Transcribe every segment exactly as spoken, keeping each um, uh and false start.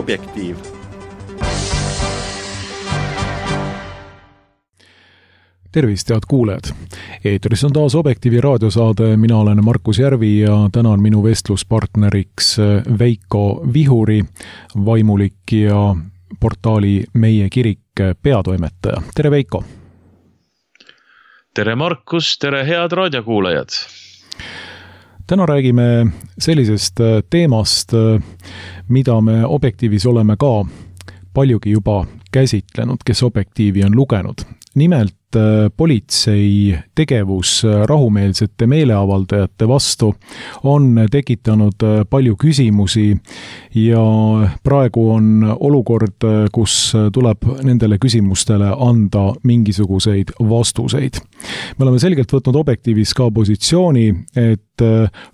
Objektiiv. Tervist, head kuulajad! Eetris on taas Objektiivi raadiosaade, mina olen Markus Järvi ja täna on minu vestluspartneriks Veiko Vihuri, vaimulik ja portaali Meie Kirik peatoimetaja. Tere, Veiko! Tere, Markus! Tere, head raadiokuulajad! Täna räägime sellisest teemast, mida me Objektiivis oleme ka paljugi juba käsitlenud, kes Objektiivi on lugenud. Nimelt politsei tegevus rahumeelsete meeleavaldajate vastu on tekitanud palju küsimusi ja praegu on olukord, kus tuleb nendele küsimustele anda mingisuguseid vastuseid. Me oleme selgelt võtnud Objektiivis ka positsiooni, et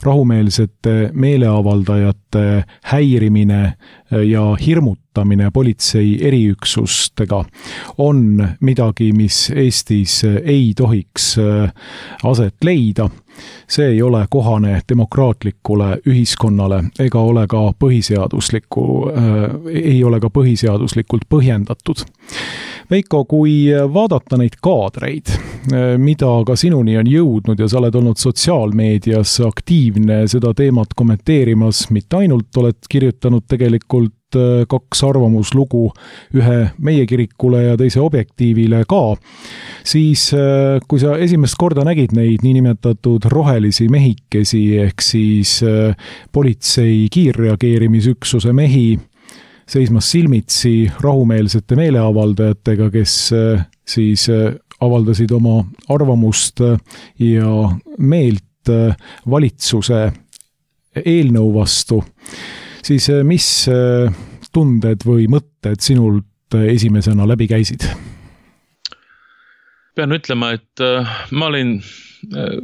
rahumeelsete meeleavaldajate häirimine ja hirmutamine politsei eriüksustega on midagi, mis Eestis ei tohiks aset leida. See ei ole kohane demokraatlikule ühiskonnale ega ole ka põhiseadusliku, ei ole ka põhiseaduslikult põhjendatud. Veiko, kui vaadata neid kaadreid, mida ka sinuni on jõudnud ja sa oled olnud sotsiaalmeedias aktiivne seda teemat kommenteerimas, mitte ainult oled kirjutanud tegelikult kaks arvamuslugu ühe Meie Kirikule ja teise Objektiivile ka, siis kui sa esimest korda nägid neid niinimetatud rohelisi mehikesi ehk siis politsei kiirreageerimisüksuse mehi seismas silmitsi rahumeelsete meeleavaldajatega, kes siis avaldasid oma arvamust ja meelt valitsuse eelnõu vastu, siis mis tunded või mõtted sinult esimesena läbi käisid? Pean ütlema, et ma olin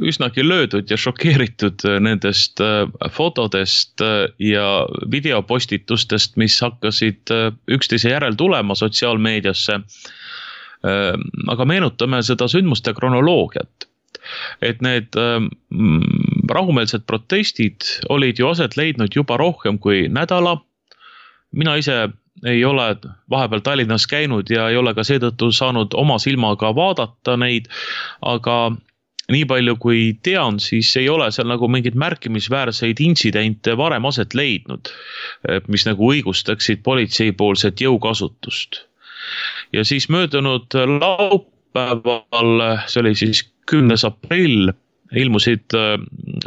üsnagi löödud ja šokeeritud nendest fotodest ja videopostitustest, mis hakkasid üksteise järel tulema sotsiaalmeediasse. Aga meenutame seda sündmuste kronoloogiat. Et need rahumeelsed protestid olid ju aset leidnud juba rohkem kui nädala. Mina ise ei ole vahepeal Tallinnas käinud ja ei ole ka seetõttu saanud oma silmaga vaadata neid, aga nii palju kui tean, siis ei ole seal nagu mingid märkimisväärseid intsidente varem aset leidnud, mis nagu õigustaksid politseipoolset jõukasutust. Ja siis möödunud laupäeval, see oli siis kümnes aprill, ilmusid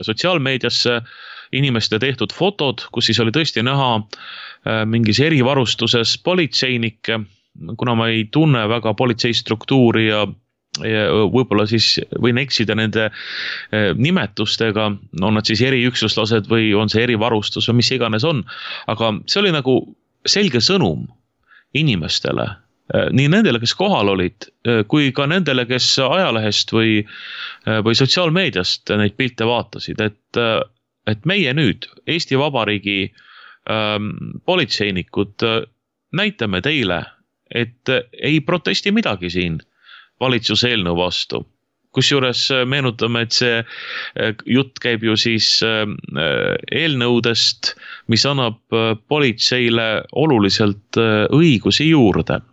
sotsiaalmeediasse inimeste tehtud fotod, kus siis oli tõesti näha mingis erivarustuses politseinikke, kuna ma ei tunne väga politseistruktuuri ja, ja võib-olla siis võin eksida nende nimetustega, on nad siis eriüksuslased või on see erivarustus või mis iganes on, aga see oli nagu selge sõnum inimestele, nii nendele, kes kohal olid, kui ka nendele, kes ajalehest või, või sotsiaalmeediast neid pilte vaatasid, et, et meie nüüd Eesti Vabariigi ähm, politseinikud näitame teile, et ei protesti midagi siin valitsuse eelnõu vastu. Kusjuures meenutame, et see jutt käib ju siis eelnõudest, mis annab politseile oluliselt õigusi juurde.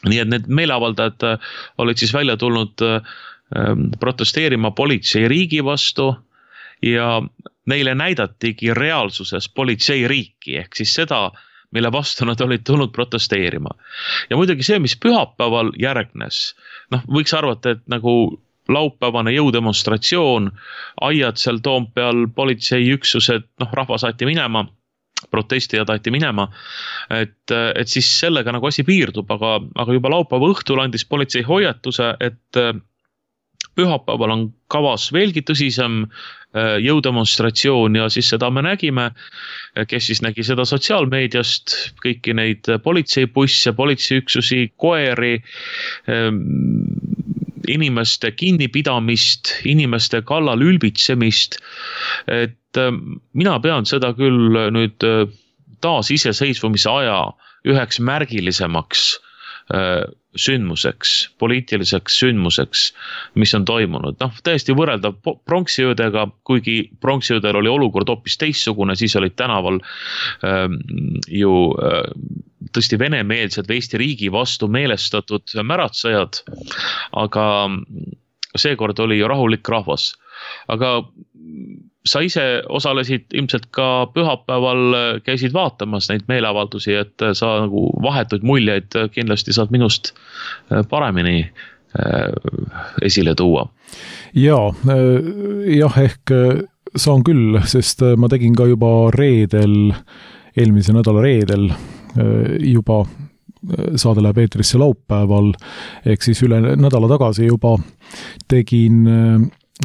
Nii et need meeleavaldajad olid siis välja tulnud protesteerima politsei riigi vastu ja neile näidatigi reaalsuses politsei riiki, ehk siis seda, mille vastu nad olid tulnud protesteerima. Ja muidugi see, mis pühapäeval järgnes, noh, võiks arvata, et nagu laupäevane jõudemonstratsioon, aiad seal Toompeal, politseiüksused, noh, rahva saati minema, protestijad aeti minema, et, et siis sellega nagu asi piirdub, aga, aga juba laupäeva õhtul andis politsei hoiatuse, et pühapäeval on kavas veelgi tõsisem jõudemonstratsioon ja siis seda me nägime, kes siis nägi seda sotsiaalmeediast, kõiki neid politseibusse, politseiüksusi, koeri, inimeste kinnipidamist, inimeste kallal ülbitsemist, et mina pean seda küll nüüd taas iseseisvumise aja üheks märgilisemaks sündmuseks, poliitiliseks sündmuseks, mis on toimunud. Noh, täiesti võrreldav pronksiöödega, kuigi pronksiöödel oli olukord hoopis teissugune, siis olid tänaval äh, ju äh, tõesti venemeelsed või Eesti riigi vastu meelestatud märatsejad, aga seekord oli ju rahulik rahvas. Aga sa ise osalesid ilmselt ka pühapäeval, käisid vaatamas neid meeleavaldusi, et sa nagu vahetuid muljeid kindlasti saad minust paremini esile tuua. Jaa, jah, ehk saan küll, sest ma tegin ka juba reedel, eelmise nädala reedel juba saade läheb eetrisse laupäeval, ehk siis üle nädala tagasi juba tegin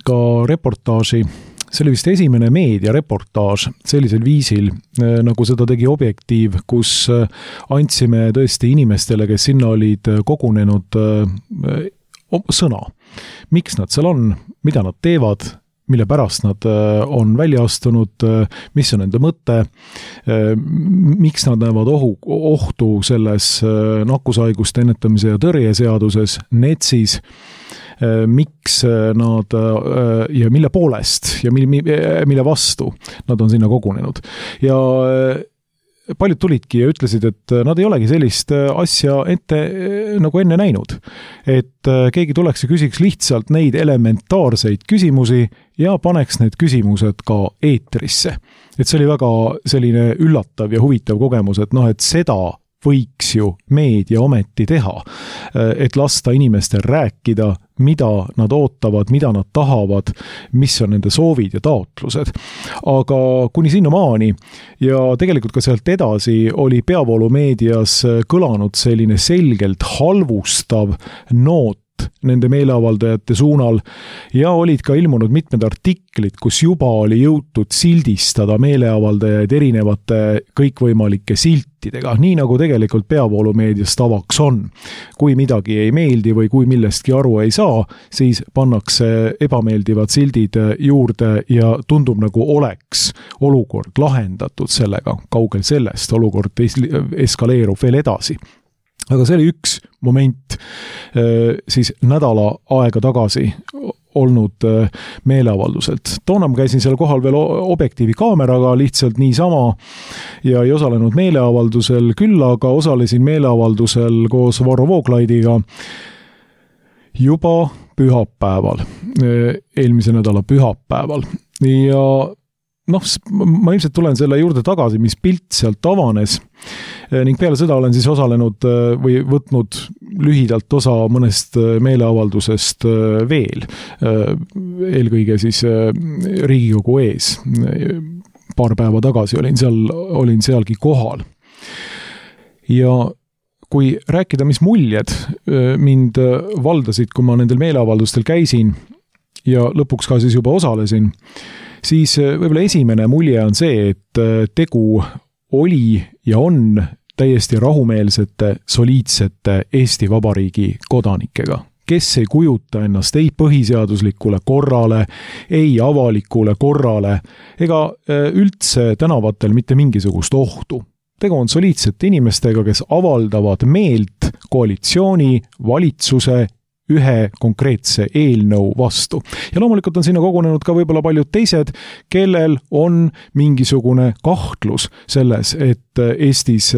ka reportaaži. See oli vist esimene meediareportaaž sellisel viisil, nagu seda tegi Objektiiv, kus andsime tõesti inimestele, kes sinna olid kogunenud, sõna. Miks nad seal on, mida nad teevad, mille pärast nad on välja astunud, mis on enda mõte, miks nad näevad ohu, ohtu selles nakkushaiguste ennetamise ja tõrje seaduses, NETSis, miks nad ja mille poolest ja mille vastu nad on sinna kogunenud. Ja paljud tulidki ja ütlesid, et nad ei olegi sellist asja ette nagu enne näinud. Et keegi tuleks ja küsiks lihtsalt neid elementaarseid küsimusi ja paneks need küsimused ka eetrisse. Et see oli väga selline üllatav ja huvitav kogemus, et noh, et seda võiks ju meedia ometi teha, et lasta inimestel rääkida, mida nad ootavad, mida nad tahavad, mis on nende soovid ja taotlused. Aga kuni sinna maani ja tegelikult ka sealt edasi oli peavoolumeedias kõlanud selline selgelt halvustav noot nende meeleavaldajate suunal ja olid ka ilmunud mitmed artiklid, kus juba oli jõutud sildistada meeleavaldajaid erinevate kõikvõimalike siltidega, nii nagu tegelikult peavoolumeedias tavaks on. Kui midagi ei meeldi või kui millestki aru ei saa, siis pannakse ebameeldivad sildid juurde ja tundub nagu oleks olukord lahendatud sellega, kaugel sellest olukord eskaleerub veel edasi. Aga see oli üks moment siis nädala aega tagasi olnud meeleavalduselt. Toona ma käisin seal kohal veel Objektiivi kaameraga lihtsalt niisama ja ei osalenud meeleavaldusel küll, aga osalesin meeleavaldusel koos Varro Vooglaidiga juba pühapäeval, eelmise nädala pühapäeval. Ja noh, ma ilmselt tulen selle juurde tagasi, mis pilt sealt avanes ning peale seda olen siis osalenud või võtnud lühidalt osa mõnest meeleavaldusest veel, eelkõige siis Riigikogu ees. Paar päeva tagasi olin seal, olin sealgi kohal. Ja kui rääkida, mis muljed mind valdasid, kui ma nendel meeleavaldustel käisin ja lõpuks ka siis juba osalesin, siis võib-olla esimene mulje on see, et tegu oli ja on täiesti rahumeelsete, soliidsete Eesti Vabariigi kodanikega, kes ei kujuta ennast ei põhiseaduslikule korrale, ei avalikule korrale ega üldse tänavatel mitte mingisugust ohtu. Tegu on soliidsete inimestega, kes avaldavad meelt koalitsiooni, valitsuse ühe konkreetse eelnõu vastu. Ja loomulikult on sinna kogunenud ka võib-olla paljud teised, kellel on mingisugune kahtlus selles, et Eestis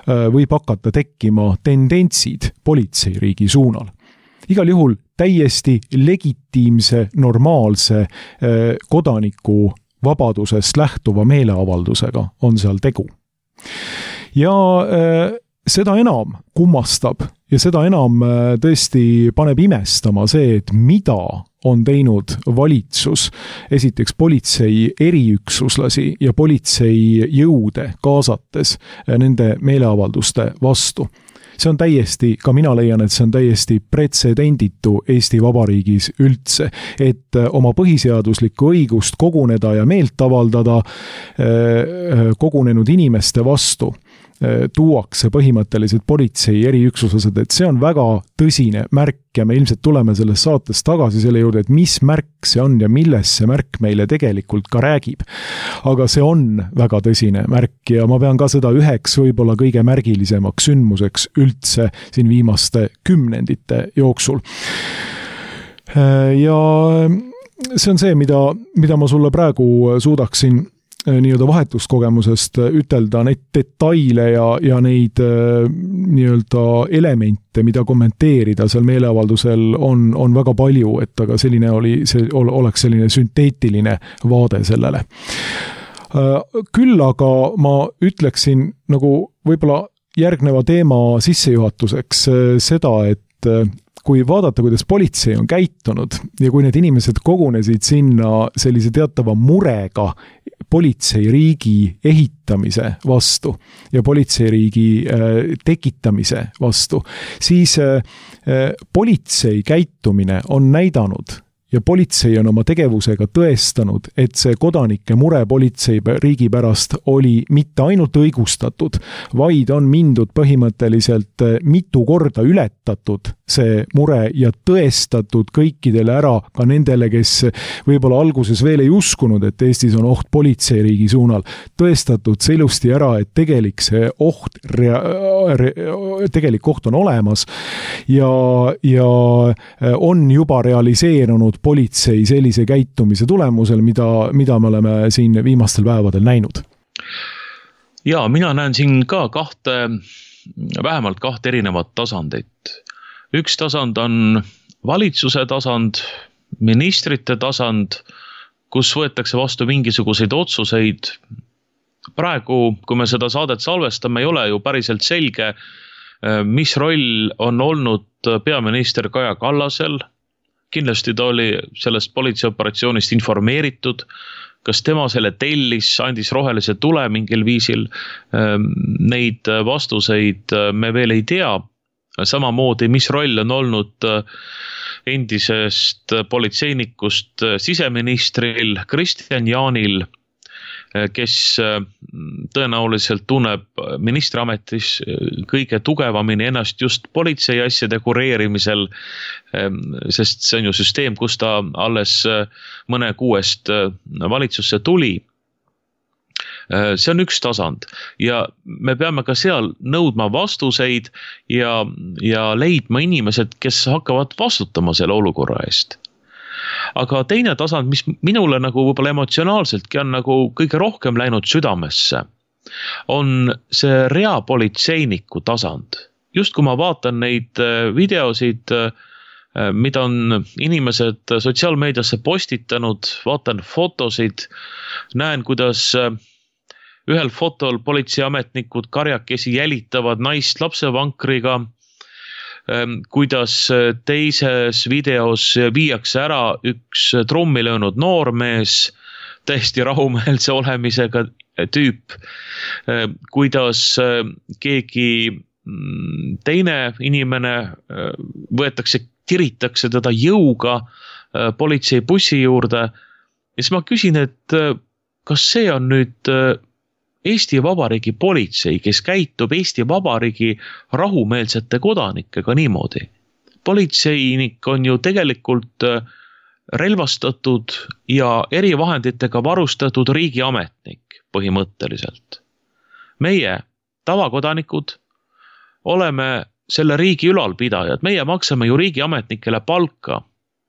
võib hakata tekkima tendentsid politseiriigi suunal. Igal juhul täiesti legitiimse, normaalse kodaniku vabadusest lähtuva meeleavaldusega on seal tegu. Ja seda enam kummastab ja seda enam tõesti paneb imestama see, et mida on teinud valitsus, esiteks politsei eriüksuslasi ja politsei jõude kaasates nende meeleavalduste vastu. See on täiesti, ka mina leian, et see on täiesti pretsedenditu Eesti Vabariigis üldse, et oma põhiseaduslikku õigust koguneda ja meelt avaldada kogunenud inimeste vastu tuuakse põhimõtteliselt politsei eriüksuslased, et see on väga tõsine märk ja me ilmselt tuleme selles saates tagasi selle juurde, et mis märk see on ja millest see märk meile tegelikult ka räägib. Aga see on väga tõsine märk ja ma pean ka seda üheks võib-olla kõige märgilisemaks sündmuseks üldse siin viimaste kümnendite jooksul. Ja see on see, mida, mida ma sulle praegu suudaksin nii-öelda vahetuskogemusest ütelda, neid detaile ja, ja neid nii-öelda elemente, mida kommenteerida seal meeleavaldusel on, on väga palju, et aga selline oli, see oleks selline sünteetiline vaade sellele. Küll aga ma ütleksin nagu võib-olla järgneva teema sissejuhatuseks seda, et kui vaadata, kuidas politsei on käitunud ja kui need inimesed kogunesid sinna sellise teatava murega politseiriigi ehitamise vastu ja politseiriigi tekitamise vastu, siis politsei käitumine on näidanud ja politsei on oma tegevusega tõestanud, et see kodanike mure politsei riigi pärast oli mitte ainult õigustatud, vaid on mindud põhimõtteliselt mitu korda ületatud see mure ja tõestatud kõikidele ära, ka nendele, kes võib-olla alguses veel ei uskunud, et Eestis on oht politseiriigi suunal, tõestatud see ilusti ära, et tegelik see oht, rea, re, tegelik oht on olemas ja, ja on juba realiseerunud politsei sellise käitumise tulemusel, mida, mida me oleme siin viimastel päevadel näinud. Ja, mina näen siin ka kahte, vähemalt kahte erinevat tasandit. Üks tasand on valitsuse tasand, ministrite tasand, kus võetakse vastu mingisuguseid otsuseid. Praegu, kui me seda saadet salvestame, ei ole ju päriselt selge, mis roll on olnud peaminister Kaja Kallasel. Kindlasti ta oli sellest politseioperatsioonist informeeritud, kas tema selle tellis, andis rohelise tule mingil viisil. Neid vastuseid me veel ei tea. Samamoodi, mis roll on olnud endisest politseinikust siseministril Kristian Jaanil, kes tõenäoliselt tunneb ministriametis kõige tugevamini ennast just politsei asjade kureerimisel, sest see on ju süsteem, kus ta alles mõne kuuest valitsusse tuli. See on üks tasand ja me peame ka seal nõudma vastuseid ja, ja leidma inimesed, kes hakkavad vastutama selle olukorra eest. Aga teine tasand, mis minule nagu võib-olla emotsionaalseltki on nagu kõige rohkem läinud südamesse, on see reapolitseiniku tasand. Just kui ma vaatan neid videosid, mida on inimesed sotsiaalmeediasse postitanud, vaatan fotosid, näen, kuidas ühel fotol politseiametnikud karjakesi jälitavad naist lapsevankriga, kuidas teises videos viiakse ära üks trummi löönud noormees, täiesti rahumeelse olemisega tüüp, kuidas keegi teine inimene võetakse, tiritakse teda jõuga politseibussi juurde. Ja siis ma küsin, et kas see on nüüd Eesti Vabariigi politsei, kes käitub Eesti Vabariigi rahumeelsete kodanikega niimoodi. Politseinik on ju tegelikult relvastatud ja erivahenditega varustatud riigiametnik põhimõtteliselt. Meie, tavakodanikud, oleme selle riigi ülalpidajad. Meie maksame ju riigiametnikele palka,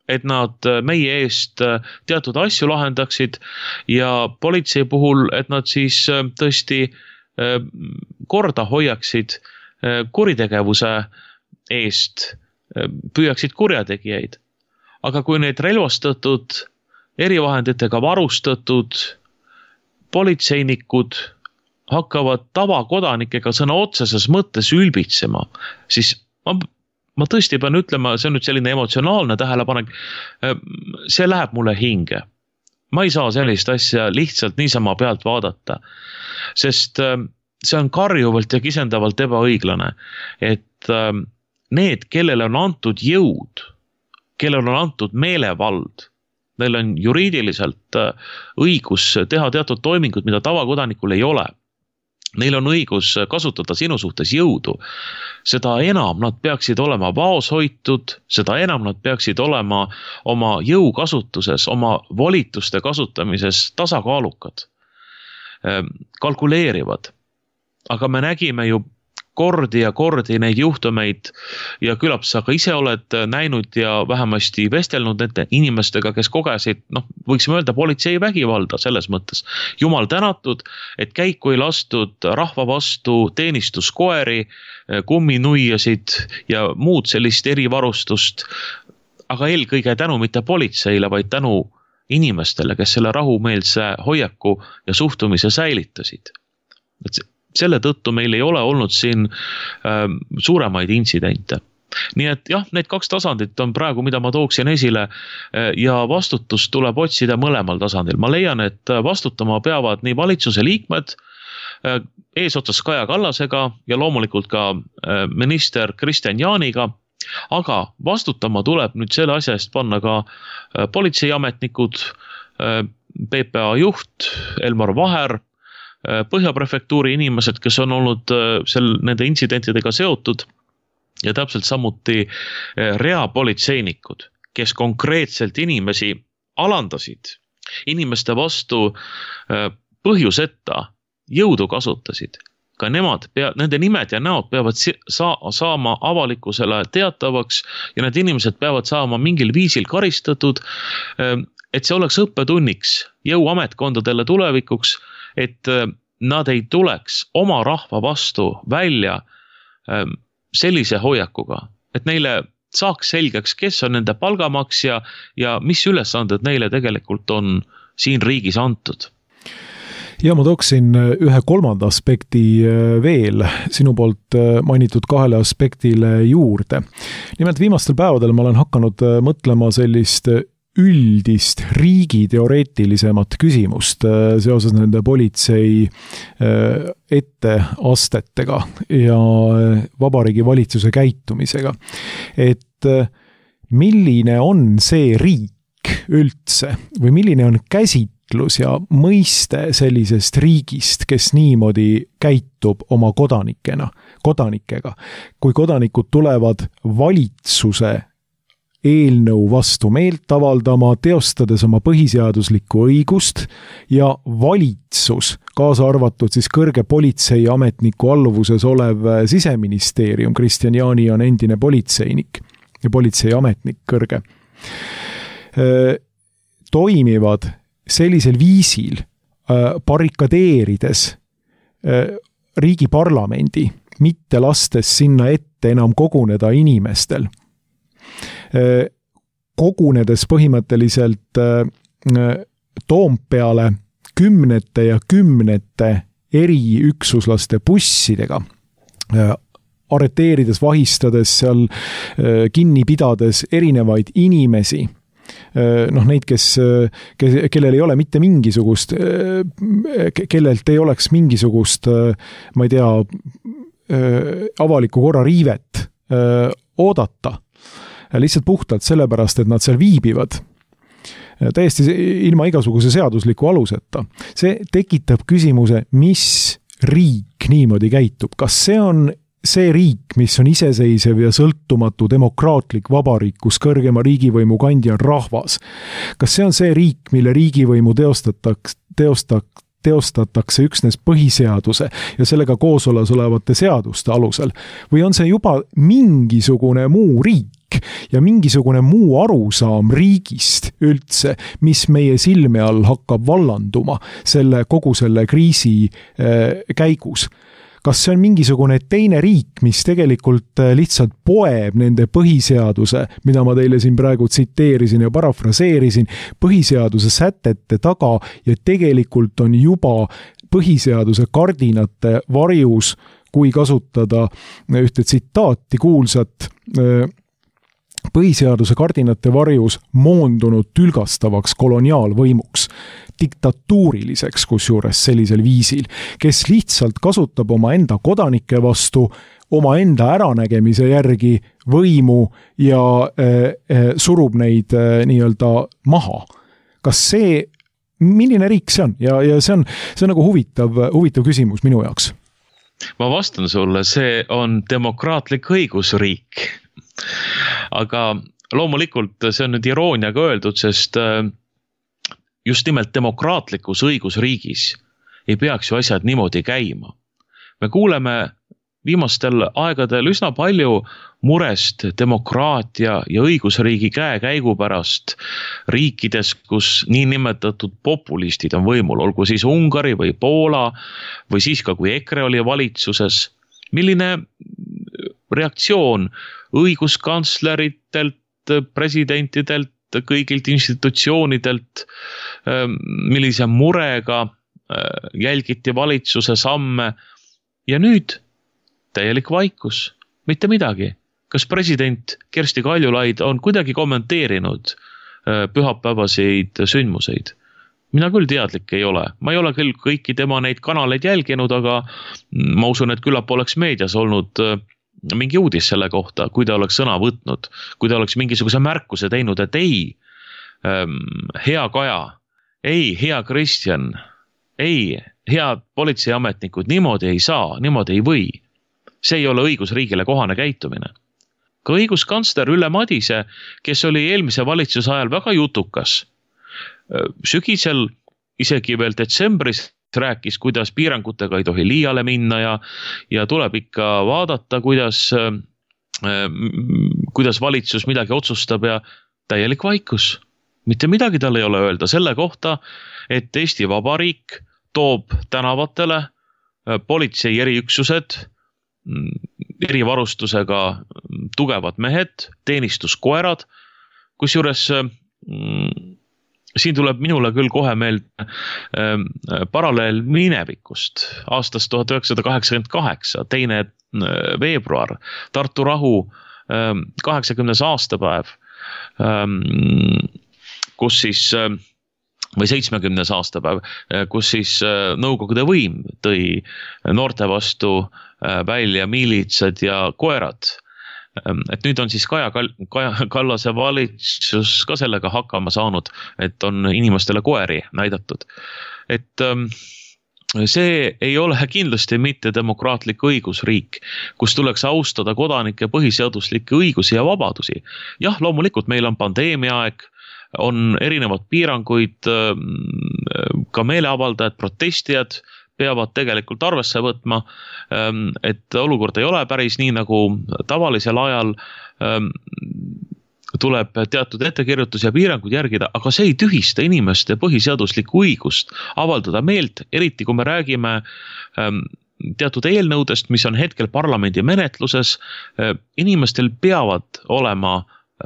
et nad meie eest teatud asju lahendaksid ja politsei puhul, et nad siis tõesti korda hoiaksid kuritegevuse eest, püüaksid kurjategijaid. Aga kui need relvastatud, erivahenditega varustatud politseinikud hakkavad tavakodanikega sõna otseses mõttes ülbitsema, siis ma Ma tõesti pean ütlema, see on nüüd selline emotsionaalne tähelepanek, see läheb mulle hinge. Ma ei saa sellist asja lihtsalt niisama pealt vaadata, sest see on karjuvalt ja kisendavalt ebaõiglane, et need, kellele on antud jõud, kellele on antud meelevald, neil on juriidiliselt õigus teha teatud toimingud, mida tavakodanikul ei ole. neil on õigus kasutada sinu suhtes jõudu, seda enam nad peaksid olema vaos hoitud, seda enam nad peaksid olema oma jõukasutuses, oma volituste kasutamises tasakaalukad, kalkuleerivad. Aga me nägime ju kordi ja kordi neid juhtumeid ja küllap sa ka ise oled näinud ja vähemasti vestelnud nende inimestega, kes kogesid, noh, võiksime öelda politsei vägivalda selles mõttes. Jumal tänatud, et käiku ei lastud rahva vastu teenistuskoeri, kumminuiasid ja muud sellist erivarustust, aga eelkõige tänu mitte politseile, vaid tänu inimestele, kes selle rahumeelse hoiaku ja suhtumise säilitasid. Et selle tõttu meil ei ole olnud siin äh, suuremaid intsidente. Nii et jah, need kaks tasandit on praegu, mida ma tooksin esile äh, ja vastutust tuleb otsida mõlemal tasandil. Ma leian, et vastutama peavad nii valitsuse liikmed äh, eesotsas Kaja Kallasega ja loomulikult ka äh, minister Kristian Jaaniga, aga vastutama tuleb nüüd selle asja eest panna ka äh, politseiametnikud, äh, P P A juht Elmar Vaher, Põhjaprefektuuri inimesed, kes on olnud sel, nende intsidentidega seotud ja täpselt samuti reapolitseinikud, kes konkreetselt inimesi alandasid, inimeste vastu põhjuseta jõudu kasutasid. Ka nemad, pea, nende nimed ja näod peavad sa, saama avalikkusele teatavaks ja need inimesed peavad saama mingil viisil karistatud, et see oleks õppetunniks jõuametkondadele tulevikuks, et nad ei tuleks oma rahva vastu välja sellise hoiakuga, et neile saaks selgeks, kes on nende palgamaksja ja mis ülesanded neile tegelikult on siin riigis antud. Ja ma tooksin ühe kolmanda aspekti veel sinu poolt mainitud kahele aspektile juurde. Nimelt viimastel päevadel ma olen hakanud mõtlema sellist üldist riigi teoreetilisemat küsimust seoses nende politsei etteastetega ja Vabariigi Valitsuse käitumisega. Et milline on see riik üldse või milline on käsitlus ja mõiste sellisest riigist, kes niimoodi käitub oma kodanikena, kodanikega, kui kodanikud tulevad valitsuse eelnõu vastu meelt avaldama, teostades oma põhiseaduslikku õigust ja valitsus, kaasa arvatud siis kõrge politseiametniku alluvuses olev siseministeerium, Kristian Jaani on endine politseinik ja politseiametnik kõrge, toimivad sellisel viisil barrikadeerides riigi parlamendi, mitte lastes sinna ette enam koguneda inimestel, kogunedes põhimõtteliselt Toompeale kümnete ja kümnete eriüksuslaste bussidega, arreteerides, vahistades seal, kinni pidades erinevaid inimesi, noh neid, kes, kes, kellel ei ole mitte mingisugust, kellelt ei oleks mingisugust, ma ei tea, avaliku korra riivet oodata, lihtsalt puhtalt sellepärast, et nad seal viibivad täiesti ilma igasuguse seadusliku aluseta. See tekitab küsimuse, mis riik niimoodi käitub. Kas see on see riik, mis on iseseisev ja sõltumatu demokraatlik vabariik, kus kõrgema riigivõimu kandja on rahvas? Kas see on see riik, mille riigivõimu teostataks, teostaks teostatakse üksnes põhiseaduse ja sellega koosolas olevate seaduste alusel? Või on see juba mingisugune muu riik ja mingisugune muu arusaam riigist üldse, mis meie silme all hakkab vallanduma selle, kogu selle kriisi äh, käigus? Kas see on mingisugune teine riik, mis tegelikult lihtsalt poeb nende põhiseaduse, mida ma teile siin praegu tsiteerisin ja parafraseerisin, põhiseaduse sätete taga ja tegelikult on juba põhiseaduse kardinate varjus, kui kasutada ühte tsitaati kuulsat, põhiseaduse kardinate varjus moondunud tülgastavaks koloniaalvõimuks, diktatuuriliseks kusjuures sellisel viisil, kes lihtsalt kasutab oma enda kodanike vastu oma enda äranägemise järgi võimu ja äh, äh, surub neid äh, nii-öelda maha. Kas see milline riik see on ja, ja see on, see on nagu huvitav, huvitav küsimus minu jaoks. Ma vastan sulle, see on demokraatlik õigusriik. Aga loomulikult see on nüüd irooniaga öeldud, sest just nimelt demokraatlikus õigusriigis ei peaks ju asjad niimoodi käima. Me kuuleme viimastel aegadel üsna palju murest demokraatia ja õigusriigi käekäigu pärast riikides, kus niinimetatud populistid on võimul, olgu siis Ungari või Poola või siis ka kui EKRE oli valitsuses. Milline reaktsioon õiguskantsleritelt, presidentidelt, kõigilt institutsioonidelt, millise murega jälgiti valitsuse samme ja nüüd täielik vaikus, mitte midagi. Kas president Kersti Kaljulaid on kuidagi kommenteerinud pühapäevaseid sündmuseid? Mina küll teadlik ei ole. Ma ei ole küll kõiki tema neid kanaleid jälginud, aga ma usun, et küllap oleks meedias olnud mingi uudis selle kohta, kui ta oleks sõna võtnud, kui ta oleks mingisuguse märkuse teinud, et ei, hea Kaja, ei, hea Kristjan, ei, head politseiametnikud, niimoodi ei saa, niimoodi ei või. See ei ole õigusriigile kohane käitumine. Ka õiguskantsler Ülle Madise, kes oli eelmise valitsuse ajal väga jutukas, sügisel isegi veel detsembris rääkis, kuidas piirangutega ei tohi liiale minna ja, ja tuleb ikka vaadata, kuidas, kuidas valitsus midagi otsustab ja täielik vaikus. Mitte midagi tal ei ole öelda selle kohta, et Eesti Vabariik toob tänavatele politsei eriüksused, erivarustusega tugevad mehed, teenistuskoerad, kusjuures siin tuleb minule küll kohe meelde paralleel minevikust aastast tuhat üheksasada kaheksakümmend kaheksa, teine veebruar, Tartu rahu kaheksakümnes aastapäev, kus siis või seitsmekümnes aastapäev, kus siis Nõukogude võim tõi noorte vastu välja miilitsad ja koerad. Et nüüd on siis Kaja, Kaja Kallase valitsus ka sellega hakkama saanud, et on inimestele koeri näidatud. Et see ei ole kindlasti mitte demokraatlik õigusriik, kus tuleks austada kodanike põhiseaduslikke õigusi ja vabadusi. Jah, loomulikult meil on pandeemia aeg, on erinevad piiranguid, ka meeleavaldajad, protestijad peavad tegelikult arvesse võtma, et olukord ei ole päris nii nagu tavalisel ajal, tuleb teatud ettekirjutus ja piirangud järgida, aga see ei tühista inimeste põhiseaduslikku õigust avaldada meelt, eriti kui me räägime teatud eelnõudest, mis on hetkel parlamendi menetluses, inimestel peavad olema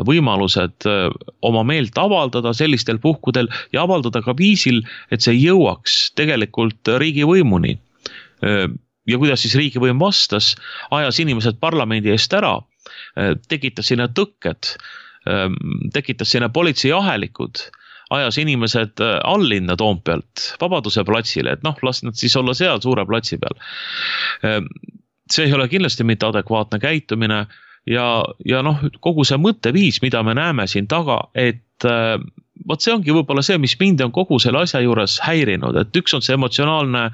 võimalused oma meelt avaldada sellistel puhkudel ja avaldada ka viisil, et see jõuaks tegelikult riigivõimuni. Ja kuidas siis riigivõim vastas, ajas inimesed parlamendi eest ära, tekitas sinna tõkked, tekitas sinna politseiahelikud, ajas inimesed allinna Toompealt Vabaduse platsile, et noh, las nad siis olla seal suure platsi peal. See ei ole kindlasti mitte adekvaatne käitumine. Ja, ja noh, kogu see mõtteviis, mida me näeme siin taga, et võt see ongi võib-olla see, mis mind on kogu selle asja juures häirinud, et üks on see emotsionaalne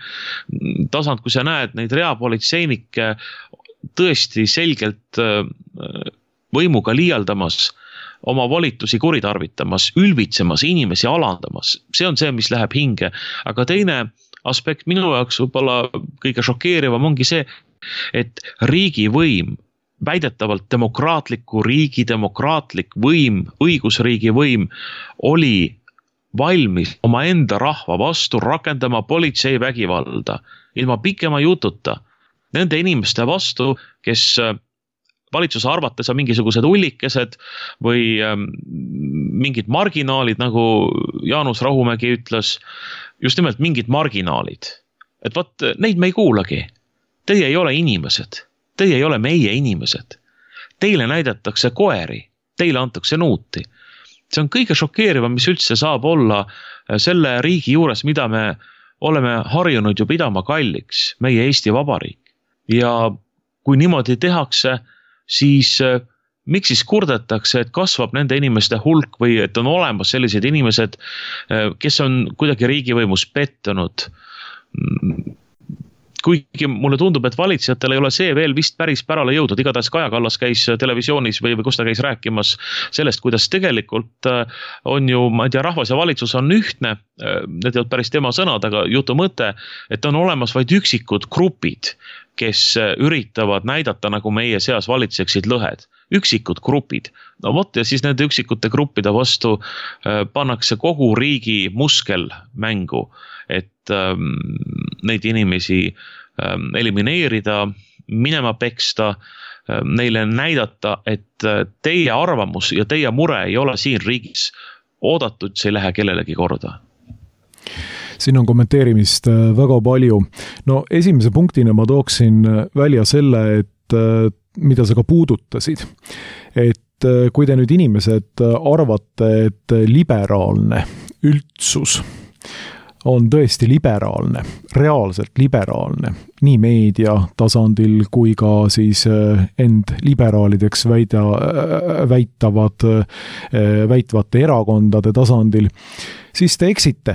tasand, kui sa näed neid reapolitseinikke tõesti selgelt võimuga liialdamas, oma volitusi kuritarvitamas, ülbitsemas, inimesi alandamas. See on see, mis läheb hinge. Aga teine aspekt minu jaoks võib-olla kõige šokeerivam ongi see, et riigivõim, väidetavalt demokraatliku riigi demokraatlik võim, õigusriigi võim oli valmis oma enda rahva vastu rakendama politsei vägivalda ilma pikema jututa nende inimeste vastu, kes valitsuse arvates on mingisugused ullikesed või mingid marginaalid, nagu Jaanus Rahumägi ütles, just nimelt mingid marginaalid. Et vaat, neid me ei kuulagi. Teie ei ole inimesed. Teie ei ole meie inimesed. Teile näidatakse koeri, teile antakse nuuti. See on kõige šokeerivam, mis üldse saab olla selle riigi juures, mida me oleme harjunud ju pidama kalliks, meie Eesti Vabariik. Ja kui niimoodi tehakse, siis miks siis kurdetakse, et kasvab nende inimeste hulk või et on olemas sellised inimesed, kes on kuidagi riigivõimus pettunud? Kuigi mulle tundub, et valitsejatel ei ole see veel vist päris pärale jõudnud. Igatahes Kaja Kallas käis televisioonis või, või kus ta käis rääkimas sellest, kuidas tegelikult on ju, ma ei tea, rahvas ja valitsus on ühtne. Need ei olnud päris tema sõnad, aga jutu mõte, et on olemas vaid üksikud grupid, kes üritavad näidata, nagu meie seas valitseksid lõhed. Üksikud grupid. No vot, ja siis nende üksikute gruppide vastu pannakse kogu riigi muskel mängu, et ähm, neid inimesi ähm, elimineerida, minema peksta, ähm, neile näidata, et teie arvamus ja teie mure ei ole siin riigis oodatud, see ei lähe kellelegi korda. Siin on kommenteerimist väga palju. No esimese punktina ma tooksin välja selle, et mida sa ka puudutasid. Et kui te nüüd inimesed arvate, et liberaalne üldsus on tõesti liberaalne, reaalselt liberaalne, nii meedia tasandil kui ka siis end liberaalideks väida, väitavad, väitvate erakondade tasandil, siis te eksite.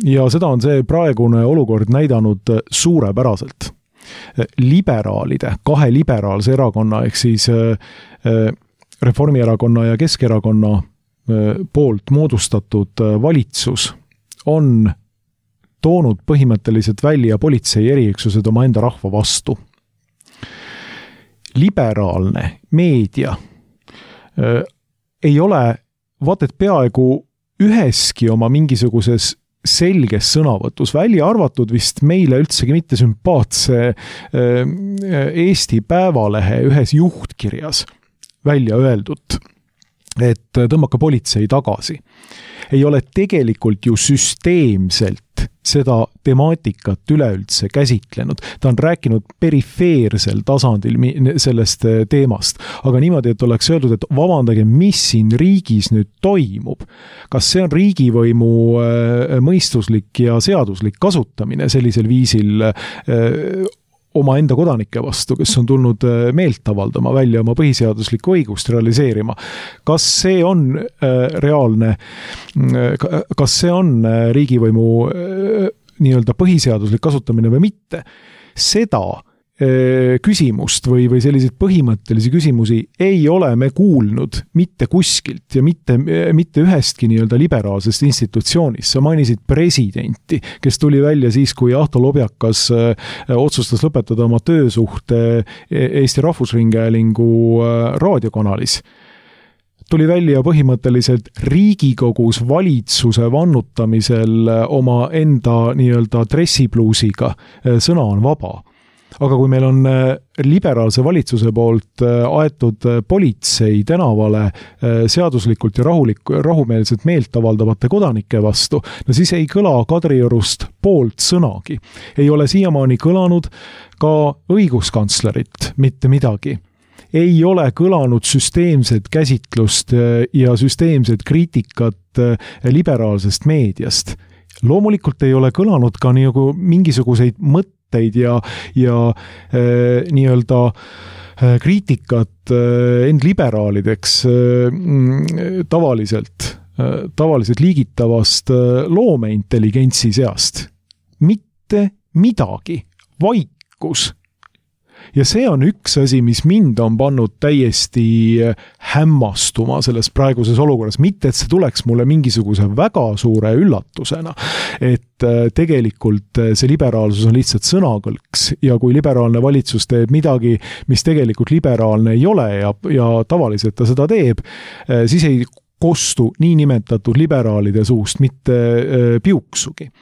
Ja seda on see praegune olukord näidanud suurepäraselt. Liberaalide, kahe liberaalse erakonna, ehk siis Reformierakonna ja Keskerakonna poolt moodustatud valitsus on toonud põhimõtteliselt välja politsei eriüksused oma enda rahva vastu. Liberaalne meedia äh, ei ole, vaat et peaaegu üheski oma mingisuguses selges sõnavõtus, välja arvatud vist meile üldsegi mitte sümpaatse äh, Eesti Päevalehe ühes juhtkirjas välja öeldud, et tõmmake politsei tagasi. Ei ole tegelikult ju süsteemselt seda temaatikat üleüldse käsitlenud. Ta on rääkinud perifeersel tasandil sellest teemast, aga niimoodi, et oleks öeldud, et vabandage, mis siin riigis nüüd toimub. Kas see on riigivõimu mõistuslik ja seaduslik kasutamine sellisel viisil oma enda kodanike vastu, kes on tulnud meelt avaldama välja oma põhiseaduslikku õigust realiseerima. Kas see on reaalne, kas see on riigivõimu nii-öelda põhiseaduslik kasutamine või mitte? Seda küsimust või, või selliseid põhimõttelisi küsimusi ei ole me kuulnud mitte kuskilt ja mitte, mitte ühestki nii-öelda liberaalsest institutsioonist. Sa mainisid presidenti, kes tuli välja siis, kui Ahto Lobjakas otsustas lõpetada oma töösuhte Eesti Rahvusringhäälingu raadiokanalis. Tuli välja põhimõtteliselt Riigikogus valitsuse vannutamisel oma enda nii-öelda dressipluusiga. Sõna on vaba. Aga kui meil on liberaalse valitsuse poolt aetud politsei tänavale seaduslikult ja rahulik, rahumeelselt meelt avaldavate kodanike vastu, no siis ei kõla Kadriorust poolt sõnagi. Ei ole siiamaani kõlanud ka õiguskantslerit mitte midagi. Ei ole kõlanud süsteemset käsitlust ja süsteemset kriitikat liberaalsest meediast. Loomulikult ei ole kõlanud ka nagu mingisuguseid mõtteid ja, ja äh, nii-öelda äh, kriitikat äh, end liberaalideks äh, tavaliselt, äh, tavaliselt liigitavast äh, loomeintelligentsi seast. Mitte midagi, vaikus. Ja see on üks asi, mis mind on pannud täiesti hämmastuma selles praeguses olukorras. Mitte, et see tuleks mulle mingisuguse väga suure üllatusena, et tegelikult see liberaalsus on lihtsalt sõnakõlks ja kui liberaalne valitsus teeb midagi, mis tegelikult liberaalne ei ole ja, ja tavaliselt ta seda teeb, siis ei kostu nii nimetatud liberaalide suust mitte piuksugi.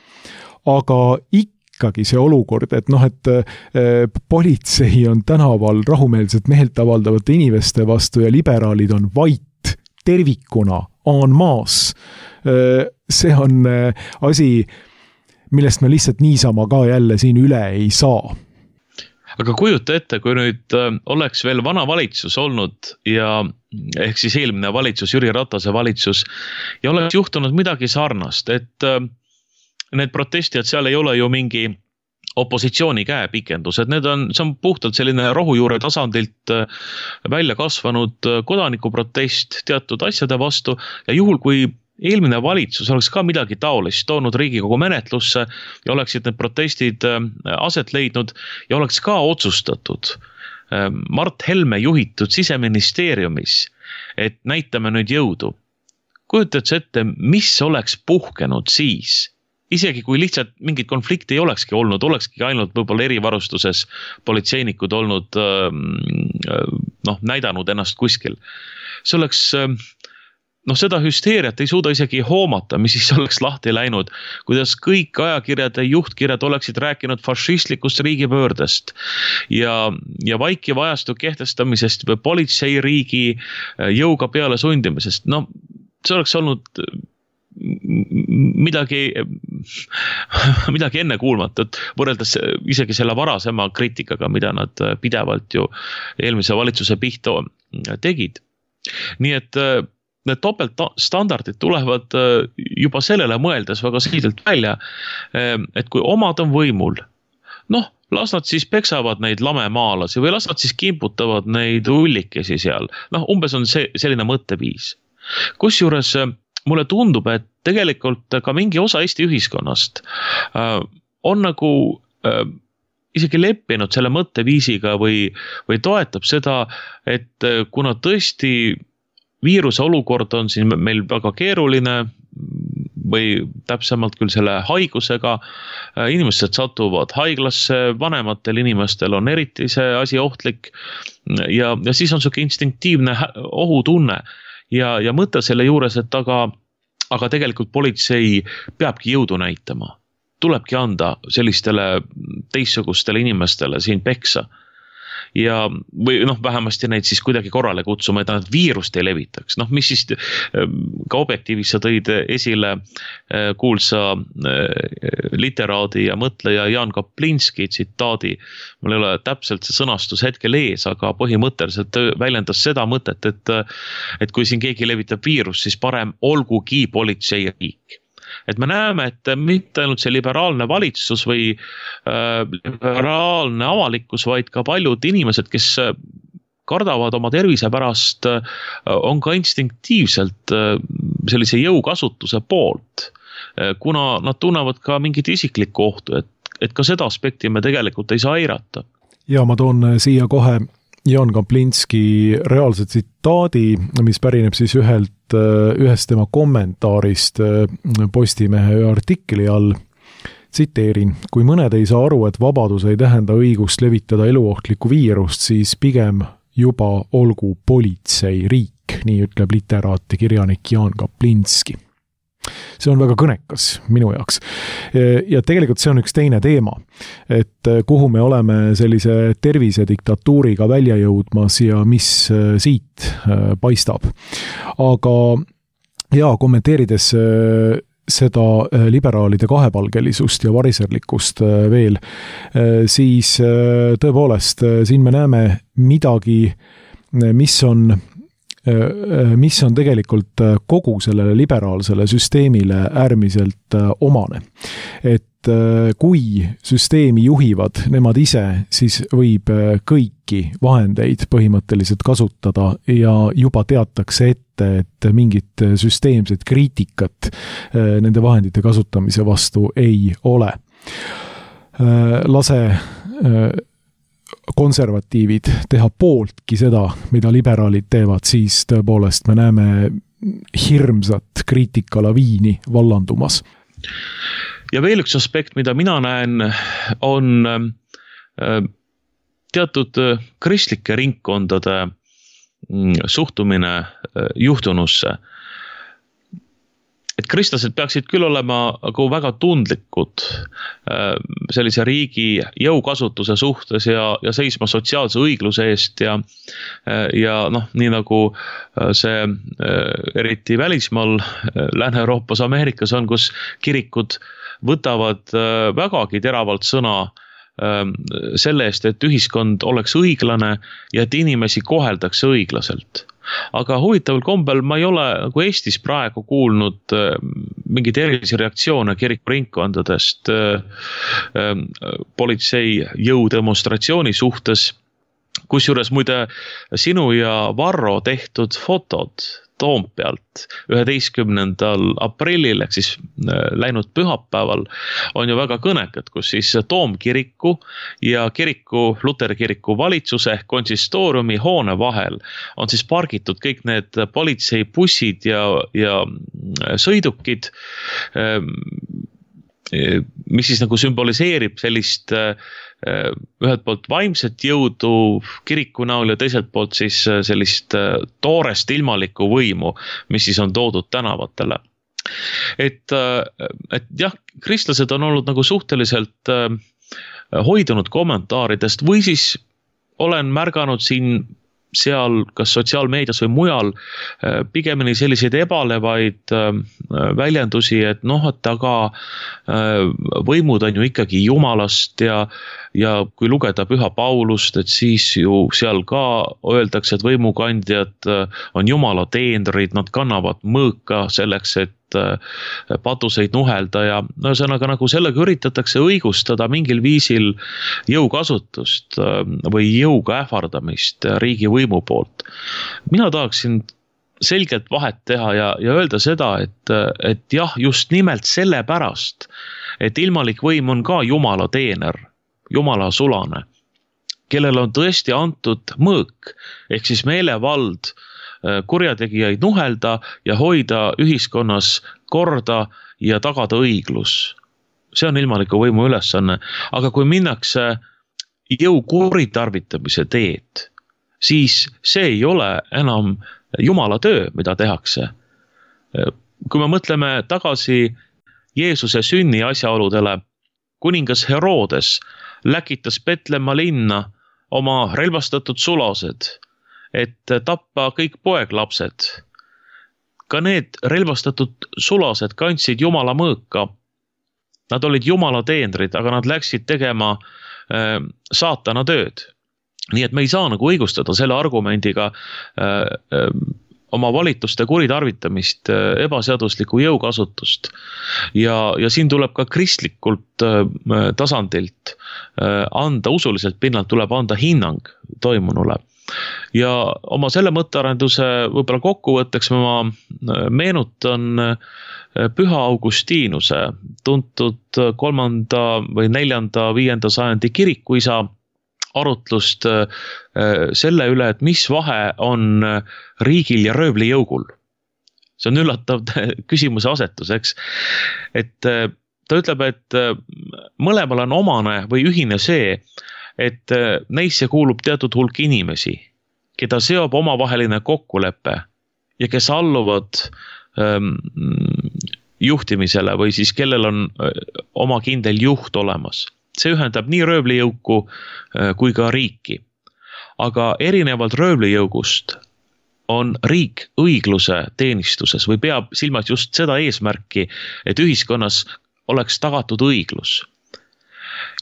Aga ikka ikkagi see olukord, et noh, et äh, politsei on tänaval rahumeelselt meelt avaldavate inimeste vastu ja liberaalid on vait tervikuna en masse. Äh, see on äh, asi, millest me lihtsalt niisama ka jälle siin üle ei saa. Aga kujuta ette, kui nüüd äh, oleks veel vana valitsus olnud ja ehk siis eelmine valitsus, Jüri Ratase valitsus ja oleks juhtunud midagi sarnast, et äh, need protestijad seal ei ole ju mingi opositsiooni käepikendused, need on, see on puhtalt selline rohujuure tasandilt välja kasvanud kodanikuprotest teatud asjade vastu ja juhul, kui eelmine valitsus oleks ka midagi taolist toonud Riigikogu menetlusse ja oleksid need protestid aset leidnud ja oleks ka otsustatud Mart Helme juhitud Siseministeeriumis, et näitame nüüd jõudu. Kujutad sa ette, mis oleks puhkenud siis? Isegi kui lihtsalt mingit konflikti ei olekski olnud, olekski ainult võib-olla erivarustuses politseinikud olnud, noh, näidanud ennast kuskil. See oleks, noh, seda hüsteeriat ei suuda isegi hoomata, mis siis oleks lahti läinud, kuidas kõik ajakirjad ja juhtkirjad oleksid rääkinud fašistlikust riigipöördest ja, ja vaikiva ajastu kehtestamisest või politseiriigi jõuga peale sundimisest. No, see oleks olnud midagi, midagi enne kuulmatut, võrreldes isegi selle varasema kriitikaga, mida nad pidevalt ju eelmise valitsuse pihta tegid. Nii et need topeltstandardid tulevad juba sellele mõeldes väga selgelt välja, et kui omad on võimul, noh, las nad siis peksavad neid lamemaalasi või las nad siis kimputavad neid ullikesi seal. Noh, umbes on see, selline mõtteviis. Kusjuures mulle tundub, et tegelikult ka mingi osa Eesti ühiskonnast on nagu isegi leppinud selle mõtteviisiga või, või toetab seda, et kuna tõesti viiruse olukord on siin meil väga keeruline või täpsemalt küll selle haigusega, inimesed satuvad haiglasse, vanematel inimestel on eriti see asi ohtlik ja, ja siis on selline instinktiivne ohutunne. Ja, ja mõte selle juures, et aga, aga tegelikult politsei peabki jõudu näitama. Tulebki anda sellistele teissugustele inimestele siin peksa. Ja, või noh, vähemasti neid siis kuidagi korrale kutsuma, et nad viirust ei levitaks. Noh, mis siis ka objektiivis sa tõid esile kuulsa literaadi ja mõtleja Jaan Kaplinski tsitaadi. Mul ei ole täpselt see sõnastus hetkel ees, aga põhimõtteliselt väljendas seda mõtet, et, et kui siin keegi levitab viirust, siis parem olgugi politseiriik. Et me näeme, et mitte ainult see liberaalne valitsus või äh, liberaalne avalikkus, vaid ka paljud inimesed, kes kardavad oma tervise pärast, äh, on ka instinktiivselt äh, sellise jõukasutuse poolt, äh, kuna nad tunnevad ka mingit isiklikku ohtu, et, et ka seda aspekti me tegelikult ei saa eirata. Ja ma toon siia kohe Jaan Kaplinski reaalse tsitaadi, mis pärineb siis ühelt, ühest tema kommentaarist Postimehe artikli all. Tsiteerin, kui mõned ei saa aru, et vabadus ei tähenda õigust levitada eluohtlikku viirust, siis pigem juba olgu politseiriik, nii ütleb literaat ja kirjanik Jaan Kaplinski. See on väga kõnekas minu jaoks. Ja tegelikult see on üks teine teema, et kuhu me oleme sellise tervisediktatuuriga välja jõudmas ja mis siit paistab. Aga ja, kommenteerides seda liberaalide kahepalgelisust ja variserlikkust veel, siis tõepoolest siin me näeme midagi, mis on mis on tegelikult kogu sellele liberaalsele süsteemile äärmiselt omane. Et kui süsteemi juhivad nemad ise, siis võib kõiki vahendeid põhimõtteliselt kasutada ja juba teatakse ette, et mingit süsteemset kriitikat nende vahendite kasutamise vastu ei ole. Lase konservatiivid teha pooltki seda, mida liberaalid teevad, siis tõepoolest me näeme hirmsat kriitikalaviini vallandumas. Ja veel üks aspekt, mida mina näen, on teatud kristlike ringkondade suhtumine juhtunusse. Et kristlased peaksid küll olema väga tundlikud sellise riigi jõukasutuse suhtes ja, ja seisma sotsiaalse õigluse eest ja, ja noh, nii nagu see eriti välismaal Lääne-Euroopas, Ameerikas on, kus kirikud võtavad vägagi teravalt sõna selle eest, et ühiskond oleks õiglane ja et inimesi koheldakse õiglaselt. aga huvitaval kombel ma ei ole nagu Eestis praegu kuulnud mingeid erilisi reaktsioone kirikuringkondadest politsei jõudemonstratsiooni suhtes, kusjuures muide sinu ja Varro tehtud fotod Toompealt üheteistkümnendal aprillil ehk siis läinud pühapäeval on ju väga kõnekad, kus siis Toomkiriku ja kiriku, Luteri kiriku valitsuse ehk konsistooriumi hoone vahel on siis pargitud kõik need politseibussid ja, ja sõidukid, mis siis nagu sümboliseerib sellist ühelt poolt vaimset jõudu kiriku näol ja teiselt poolt siis sellist toorest ilmalikku võimu, mis siis on toodud tänavatele. Et, et jah, kristlased on olnud nagu suhteliselt hoidunud kommentaaridest või siis olen märganud siin seal kas sotsiaalmeedias või mujal pigemini selliseid ebalevaid väljendusi, et noh, et aga võimud on ju ikkagi Jumalast ja, ja kui lugeda Püha Paulust, et siis ju seal ka öeldakse, et võimukandjad on Jumala teenrid, nad kannavad mõõka selleks, et patuseid nuhelda ja ühesõnaga nagu sellega üritatakse õigustada mingil viisil jõukasutust või jõuga ähvardamist riigi võimu poolt. Mina tahaksin selgelt vahet teha ja, ja öelda seda, et, et jah, just nimelt selle pärast, et ilmalik võim on ka Jumala teener, Jumala sulane, kellel on tõesti antud mõõk, ehk siis meelevald kurjategijaid nuhelda ja hoida ühiskonnas korda ja tagada õiglus. See on ilmaliku võimu ülesanne, aga kui minnakse jõu kuritarvitamise teed, siis see ei ole enam Jumala töö, mida tehakse. Kui me mõtleme tagasi Jeesuse sünni asjaoludele, kuningas Herodes läkitas Petlemma linna oma relvastatud sulased, et tappa kõik poeglapsed. Ka need relvastatud sulased kandsid Jumala mõõka. Nad olid Jumala teenrid, aga nad läksid tegema äh, saatana tööd. Nii et me ei saa nagu õigustada selle argumendiga äh, äh, oma valituste kuritarvitamist, äh, ebaseaduslikku jõukasutust. Ja, ja siin tuleb ka kristlikult äh, tasandilt äh, anda, usuliselt pinnalt tuleb anda hinnang toimunule. Ja oma selle mõttearenduse võib-olla kokkuvõtteks ma meenutan Püha Augustiinuse, tuntud kolmanda või neljanda, viienda sajandi kirikuisa arutlust selle üle, et mis vahe on riigil ja röövlijõugul. See on üllatav küsimuse asetus, eks? Et ta ütleb, et mõlemal on omane või ühine see, et neisse kuulub teatud hulk inimesi, keda seob omavaheline kokkulepe ja kes alluvad ähm, juhtimisele või siis kellel on oma kindel juht olemas. See ühendab nii röövlijõuku äh, kui ka riiki. Aga erinevalt röövlijõugust on riik õigluse teenistuses või peab silmas just seda eesmärki, et ühiskonnas oleks tagatud õiglus.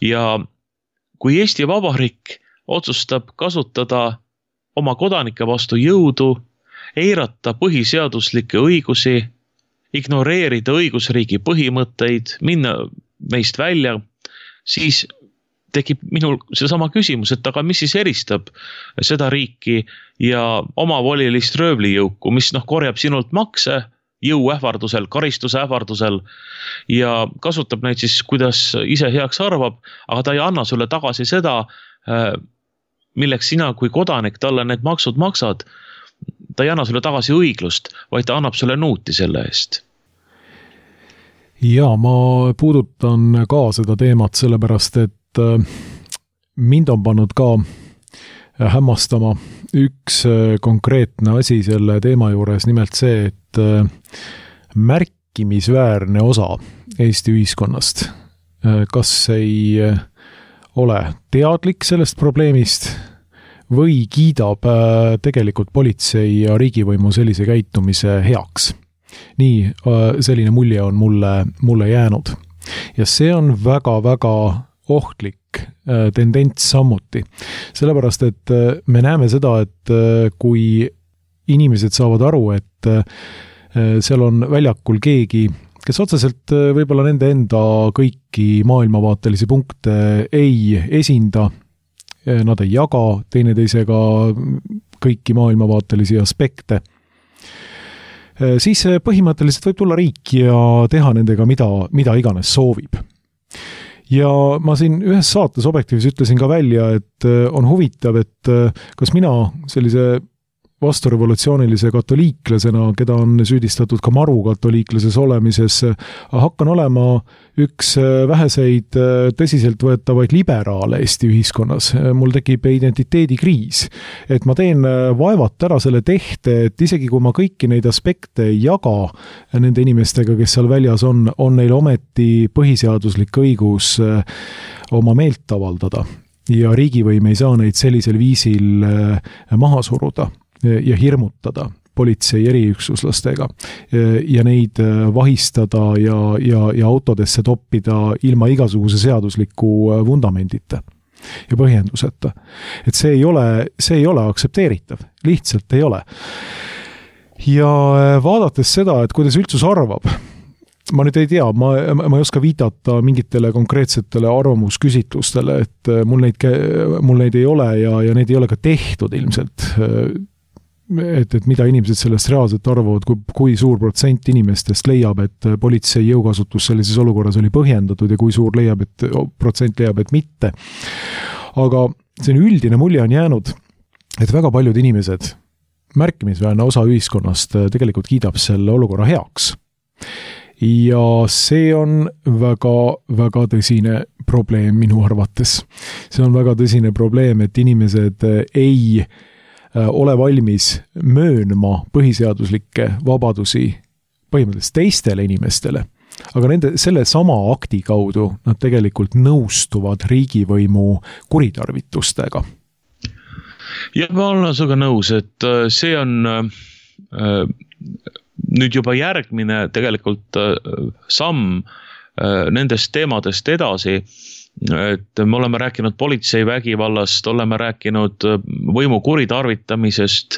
Ja kui Eesti Vabariik otsustab kasutada oma kodanike vastu jõudu, eirata põhiseaduslikke õigusi, ignoreerida õigusriigi põhimõtteid, minna meist välja, siis tekib minul seesama küsimus, et aga mis siis eristab seda riiki ja omavolilist röövlijõuku, mis noh, korjab sinult makse, jõu ähvardusel, karistuse ähvardusel ja kasutab neid siis, kuidas ise heaks arvab, aga ta ei anna sulle tagasi seda, milleks sina kui kodanik talle need maksud maksad. Ta ei anna sulle tagasi õiglust, vaid ta annab sulle nuuti selle eest. Ja ma puudutan ka seda teemat sellepärast, et mind on pannud ka hämmastama üks konkreetne asi selle teema juures, nimelt see, et märkimisväärne osa Eesti ühiskonnast kas ei ole teadlik sellest probleemist või kiidab tegelikult politsei ja riigivõimu sellise käitumise heaks. Nii selline mulje on mulle, mulle jäänud. Ja see on väga-väga ohtlik tendents sammuti. Sellepärast, et me näeme seda, et kui inimesed saavad aru, et seal on väljakul keegi, kes otseselt võib-olla nende enda kõiki maailmavaatelisi punkte ei esinda, nad ei jaga teineteisega kõiki maailmavaatelisi aspekte, siis põhimõtteliselt võib tulla riik ja teha nendega mida, mida iganes soovib. Ja ma siin ühes saates Objektiivis ütlesin ka välja, et on huvitav, et kas mina sellise vasturevolutsioonilise katoliiklasena, keda on süüdistatud ka maru katoliiklases olemises, hakkan olema üks väheseid tõsiselt võetavaid liberaale Eesti ühiskonnas. Mul tekib identiteedikriis, et ma teen vaevat ära selle tehte, et isegi kui ma kõiki neid aspekte ei jaga nende inimestega, kes seal väljas on, on neil ometi põhiseaduslik õigus oma meelt avaldada ja riigivõim ei saa neid sellisel viisil maha suruda ja hirmutada politsei eriüksuslastega ja neid vahistada ja, ja, ja autodesse toppida ilma igasuguse seadusliku vundamendita ja põhjenduseta. Et see ei ole, see ei ole aktsepteeritav, lihtsalt ei ole. Ja vaadates seda, et kuidas üldsus arvab, ma nüüd ei tea, ma, ma ei oska viidata mingitele konkreetsetele arvamusküsitlustele, et mul neid, mul neid ei ole ja, ja neid ei ole ka tehtud ilmselt, et, et mida inimesed sellest reaalselt arvavad, kui, kui suur protsent inimestest leiab, et politsei jõukasutus sellises olukorras oli põhjendatud ja kui suur leiab, et protsent leiab, et mitte. Aga see üldine mulje on jäänud, et väga paljud inimesed, märkimisväärne osa ühiskonnast tegelikult kiidab selle olukorra heaks. Ja see on väga, väga tõsine probleem minu arvates. See on väga tõsine probleem, et inimesed ei ole valmis möönma põhiseaduslikke vabadusi põhimõtteliselt teistele inimestele, aga nende, selle sama akti kaudu nad tegelikult nõustuvad riigivõimu kuritarvitustega. Ja ma olen suga nõus, et see on äh, nüüd juba järgmine tegelikult äh, samm äh, nendest teemadest edasi, et me oleme rääkinud politsei vägivallast, oleme rääkinud võimu kuritarvitamisest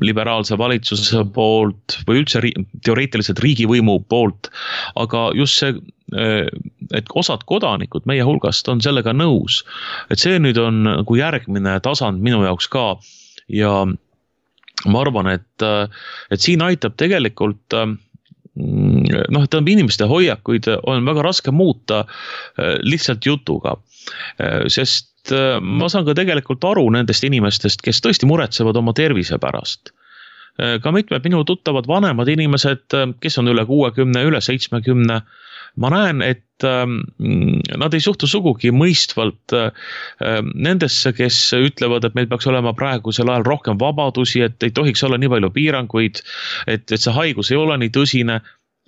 liberaalse valitsuse poolt või üldse teoreetiliselt riigivõimu poolt, aga just see, et osad kodanikud meie hulgast on sellega nõus, et see nüüd on nagu järgmine tasand minu jaoks ka ja ma arvan, et, et siin aitab tegelikult noh, et inimeste hoiakuid on väga raske muuta lihtsalt jutuga, sest ma saan ka tegelikult aru nendest inimestest, kes tõesti muretsevad oma tervise pärast. Ka mitmed minu tuttavad vanemad inimesed, kes on üle kuuekümne, üle seitsmekümne, ma näen, et nad ei suhtu sugugi mõistvalt nendesse, kes ütlevad, et meil peaks olema praegusel ajal rohkem vabadusi, et ei tohiks olla nii palju piiranguid, et, et see haigus ei ole nii tõsine.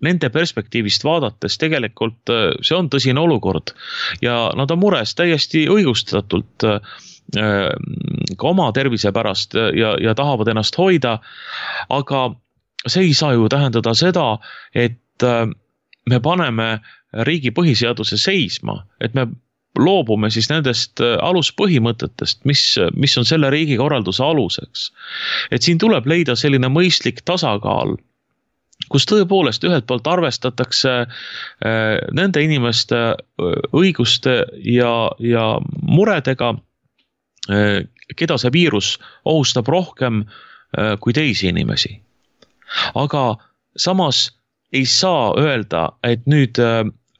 Nende perspektiivist vaadates tegelikult see on tõsine olukord ja nad on mures täiesti õigustatult ka oma tervise pärast ja, ja tahavad ennast hoida, aga see ei saa ju tähendada seda, et me paneme riigi põhiseaduse seisma, et me loobume siis nendest aluspõhimõtetest, mis, mis on selle riigikorralduse aluseks. Et siin tuleb leida selline mõistlik tasakaal, kus tõepoolest ühelt poolt arvestatakse nende inimeste õiguste ja, ja muredega, keda see viirus ohustab rohkem kui teisi inimesi. Aga samas ei saa öelda, et nüüd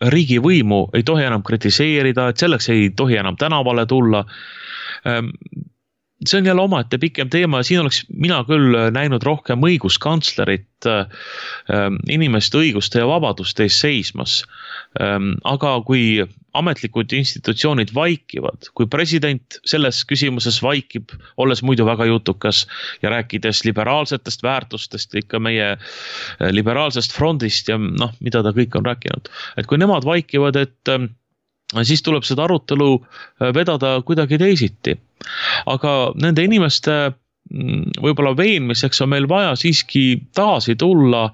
riigivõimu ei tohi enam kritiseerida, et selleks ei tohi enam tänavale tulla. See on jälle omaette pikem teema ja siin oleks mina küll näinud rohkem õiguskantslerit inimeste õiguste ja vabaduste ees seismas. Aga kui ametlikud institutsioonid vaikivad, kui president selles küsimuses vaikib, olles muidu väga jutukas ja rääkides liberaalsetest väärtustest, ikka meie liberaalsest frondist ja noh, mida ta kõik on rääkinud. Et kui nemad vaikivad, et siis tuleb seda arutelu vedada kuidagi teisiti. Aga nende inimeste võib-olla veenmiseks on meil vaja siiski taasi tulla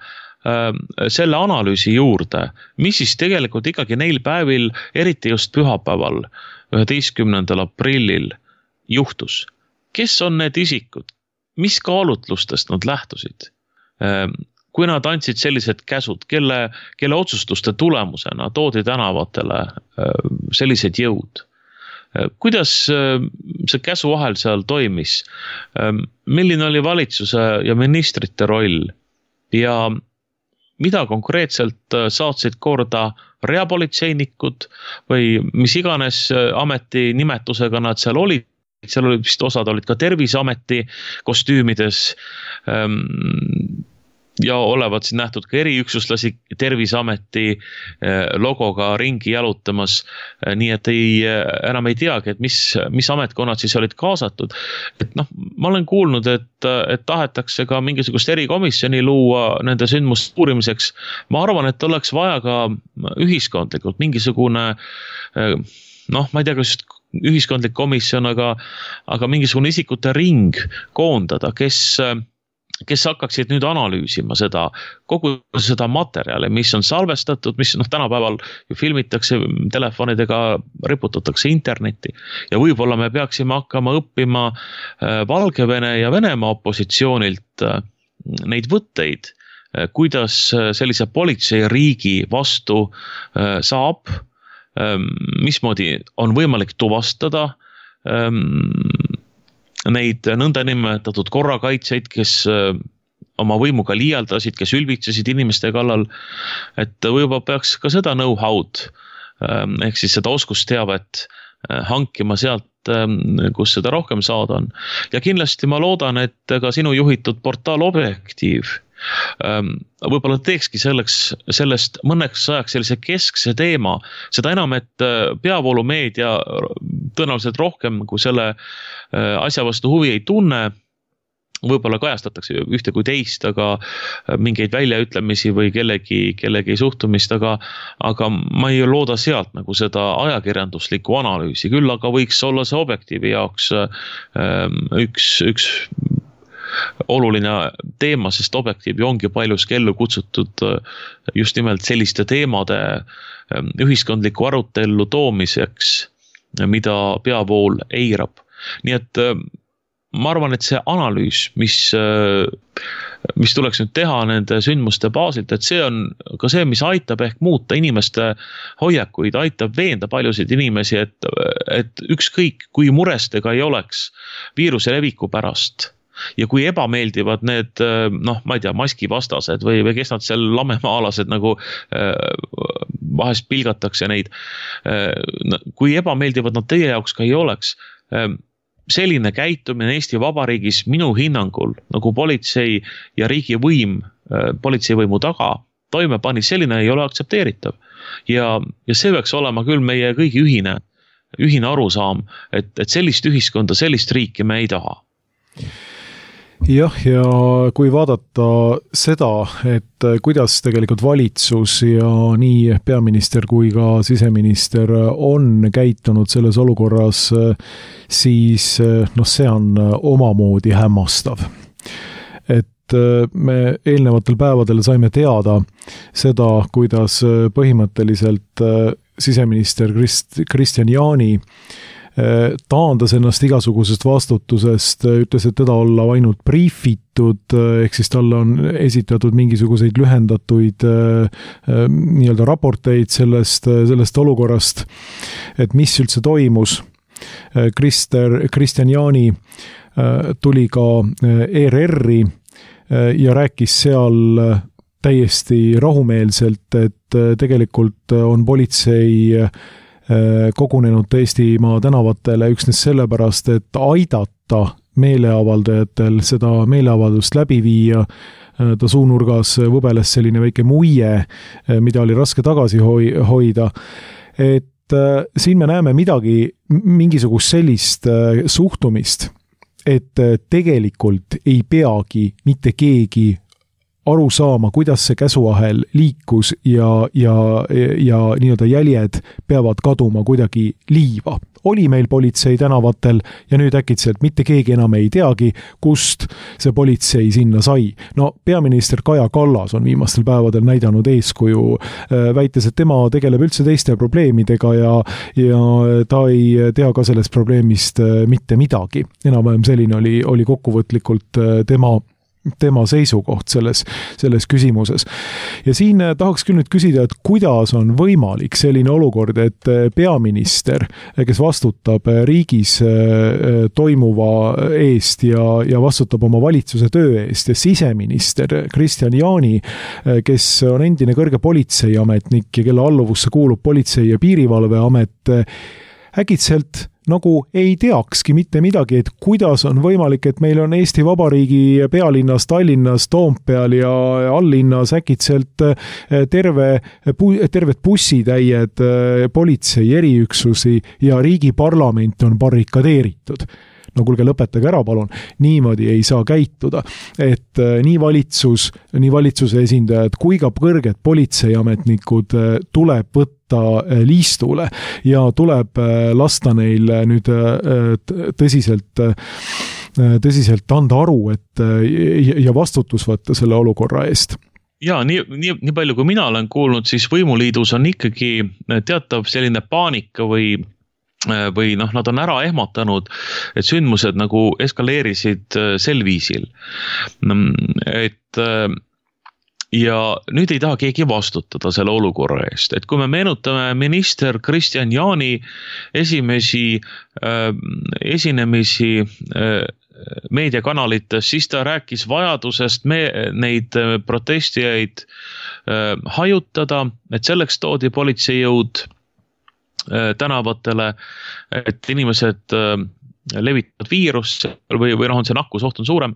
selle analüüsi juurde, mis siis tegelikult ikkagi neil päevil, eriti just pühapäeval, üheteistkümnendal aprillil juhtus. Kes on need isikud, mis kaalutlustest nad lähtusid? Kui nad andsid sellised käsud, kelle, kelle otsustuste tulemusena toodi tänavatele sellised jõud? Kuidas see käsuahel seal toimis? Milline oli valitsuse ja ministrite roll? Ja mida konkreetselt saatsid korda reapolitseinikud või mis iganes ameti nimetusega nad seal olid? Seal oli vist osad olid ka Terviseameti kostüümides ja olevat siin nähtud ka eriüksuslasi Terviseameti logoga ringi jalutamas, nii et ei, enam ei teagi, et mis, mis ametkonnad siis olid kaasatud. Et noh, ma olen kuulnud, et, et tahetakse ka mingisugust erikomisjoni luua nende sündmuste uurimiseks. Ma arvan, et oleks vaja ka ühiskondlikult mingisugune, noh, ma ei tea, kas ühiskondlik komisjon, aga, aga mingisugune isikute ring koondada, kes, kes hakkaksid nüüd analüüsima seda, kogu seda materjali, mis on salvestatud, mis noh, tänapäeval ju filmitakse telefonidega, riputatakse internetti ja võib-olla me peaksime hakkama õppima Valgevene ja Venemaa opositsioonilt neid võtteid, kuidas sellise politseiriigi vastu saab, mismoodi on võimalik tuvastada neid nõndanimetatud korrakaitseid, kes oma võimuga liialdasid, kes ülbitsesid inimeste kallal, et võib-olla peaks ka seda know-how'd ehk siis seda oskusteavet hankima sealt, kus seda rohkem saada on. Ja kindlasti ma loodan, et ka sinu juhitud portaal Objektiiv võib-olla teekski selleks, sellest mõneks ajaks sellise keskse teema, seda enam, et peavoolumeedia tõenäoliselt rohkem kui selle asja vastu huvi ei tunne, võib-olla kajastatakse ühte kui teist, aga mingeid väljaütlemisi või kellegi, kellegi suhtumist, aga, aga ma ei looda sealt nagu seda ajakirjanduslikku analüüsi, küll aga võiks olla see Objektiivi jaoks üks, üks oluline teema, sest Objektiivi ongi paljuski ellu kutsutud just nimelt selliste teemade ühiskondliku arutellu toomiseks, mida peavool eirab. Nii et ma arvan, et see analüüs, mis, mis tuleks nüüd teha nende sündmuste baasilt, et see on ka see, mis aitab ehk muuta inimeste hoiakuid, aitab veenda paljusid inimesi, et, et ükskõik kui murestega ei oleks viiruse leviku pärast, ja kui ebameeldivad need, noh, ma ei tea, maskivastased või, või kes nad seal lamemaalased nagu vahest pilgatakse neid, kui ebameeldivad nad teie jaoks ka ei oleks, selline käitumine Eesti Vabariigis minu hinnangul, nagu politsei ja riigivõim politseivõimu taga toime pani, selline ei ole aktsepteeritav. Ja, ja see peaks olema küll meie kõigi ühine, ühine arusaam, et, et sellist ühiskonda, sellist riiki me ei taha. Jah, ja kui vaadata seda, et kuidas tegelikult valitsus ja nii peaminister kui ka siseminister on käitunud selles olukorras, siis noh, see on omamoodi hämmastav. Et me eelnevatel päevadel saime teada seda, kuidas põhimõtteliselt siseminister Krist, Kristian Jaani taandas ennast igasugusest vastutusest, ütles, et teda olla ainult briifitud, ehk siis talle on esitatud mingisuguseid lühendatuid nii-öelda raporteid sellest, sellest olukorrast, et mis üldse toimus. Krister, Kristian Jaani tuli ka E R R-i ja rääkis seal täiesti rahumeelselt, et tegelikult on politsei kogunenud Eestimaa tänavatele üksnes sellepärast, et aidata meeleavaldajatel seda meeleavaldust läbi viia. Ta suunurgas võbeles selline väike muie, mida oli raske tagasi hoida. Et siin me näeme midagi, mingisugust sellist suhtumist, et tegelikult ei peagi mitte keegi aru saama, kuidas see käsuahel liikus ja, ja, ja nii-öelda jäljed peavad kaduma kuidagi liiva. oli meil politsei tänavatel ja nüüd äkitselt mitte keegi enam ei teagi, kust see politsei sinna sai. No peaminister Kaja Kallas on viimastel päevadel näidanud eeskuju, väites, et tema tegeleb üldse teiste probleemidega ja, ja ta ei tea ka sellest probleemist mitte midagi. Enam-vähem selline oli, oli kokkuvõtlikult tema tema seisukoht selles, selles küsimuses. Ja siin tahaks küll nüüd küsida, et kuidas on võimalik selline olukord, et peaminister, kes vastutab riigis toimuva eest ja, ja vastutab oma valitsuse töö eest ja siseminister Kristian Jaani, kes on endine kõrge politseiametnik ja kelle alluvusse kuulub politsei- ja piirivalveamet, äkitselt nagu ei teakski mitte midagi, et kuidas on võimalik, et meil on Eesti Vabariigi pealinnas, Tallinnas, Toompeal ja alllinnas äkitselt terve, terved bussitäied politsei eriüksusi ja riigi parlament on barrikadeeritud. No kuulge, lõpetage ära, palun. Niimoodi ei saa käituda, et nii valitsus, nii valitsuse esindajad kui ka kõrged politseiametnikud tuleb võtta liistule ja tuleb lasta neil nüüd tõsiselt, tõsiselt anda aru, et ja vastutus võtta selle olukorra eest. Ja, nii, nii, nii palju kui mina olen kuulnud, siis võimuliidus on ikkagi teatav selline paanika või või noh, nad on ära ehmatanud, et sündmused nagu eskaleerisid sel viisil. Et ja nüüd ei taha keegi vastutada selle olukorra eest. Et kui me meenutame minister Kristian Jaani esimesi äh, esinemisi äh, meediakanalites, siis ta rääkis vajadusest me, neid protestijaid äh, hajutada, et selleks toodi politseijõud tänavatele, et inimesed levitavad viirust või, või noh, on see nakkusoht on suurem,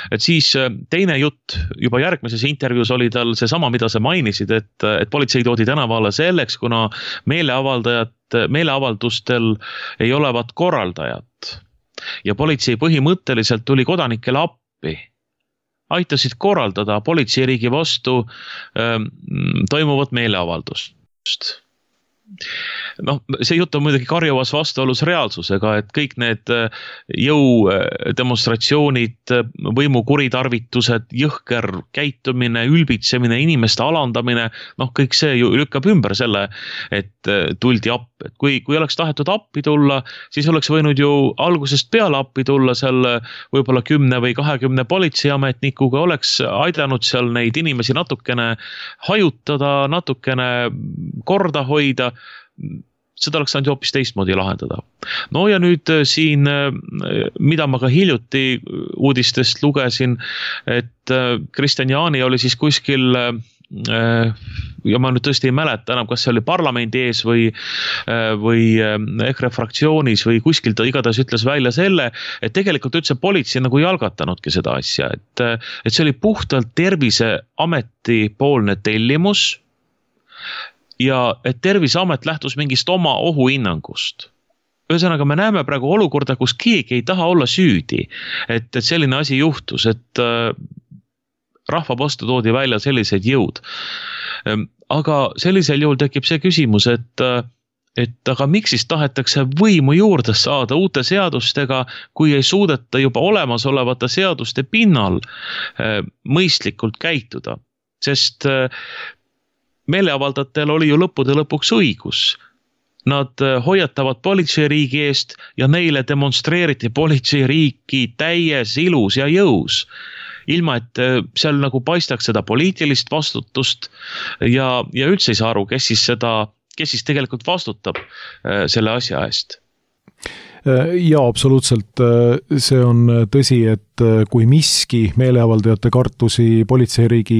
et siis teine jutt juba järgmises intervjuus oli tal see sama, mida sa mainisid, et, et politsei toodi tänavale selleks, kuna meeleavaldajad, meeleavaldustel ei olevat korraldajat ja politsei põhimõtteliselt tuli kodanikele appi, aitasid korraldada politseiriigi vastu ähm, toimuvat meeleavaldust. Noh, see jutt on muidugi karjuvas vastuolus reaalsusega, et kõik need jõudemonstratsioonid, võimu kuritarvitused, jõhker käitumine, ülbitsemine, inimeste alandamine, noh, kõik see ju lükkab ümber selle, et tuldi appi. Et kui, kui oleks tahetud appi tulla, siis oleks võinud ju algusest peale appi tulla seal võib-olla kümne või kahekümne politseiametnikuga, oleks aidanud seal neid inimesi natukene hajutada, natukene korda hoida, seda oleks saanud hoopis teistmoodi lahendada. No ja nüüd siin, mida ma ka hiljuti uudistest lugesin, et Kristian Jaani oli siis kuskil, ja ma nüüd tõesti ei mäleta enam, kas see oli parlamendi ees või, või EKRE fraktsioonis või kuskil ta igatahes ütles välja selle, et tegelikult üldse politsei nagu ei algatanudki seda asja, et, et see oli puhtalt Terviseameti poolne tellimus, ja et Terviseamet lähtus mingist oma ohuhinnangust. Ühesõnaga, me näeme praegu olukorda, kus keegi ei taha olla süüdi, et, et selline asi juhtus, et äh, rahva vastu toodi välja sellised jõud. Aga sellisel juhul tekib see küsimus, et, et aga miks siis tahetakse võimu juurde saada uute seadustega, kui ei suudeta juba olemasolevate seaduste pinnal äh, mõistlikult käituda, sest äh, meeleavaldajatel oli ju lõppude lõpuks õigus. Nad hoiatavad politseiriigi eest ja neile demonstreeriti politseiriiki täies ilus ja jõus. Ilma, et seal nagu paistaks seda poliitilist vastutust ja, ja üldse ei saa aru, kes siis, seda, kes siis tegelikult vastutab selle asja eest. Ja absoluutselt see on tõsi, et kui miski meeleavaldajate kartusi politseiriigi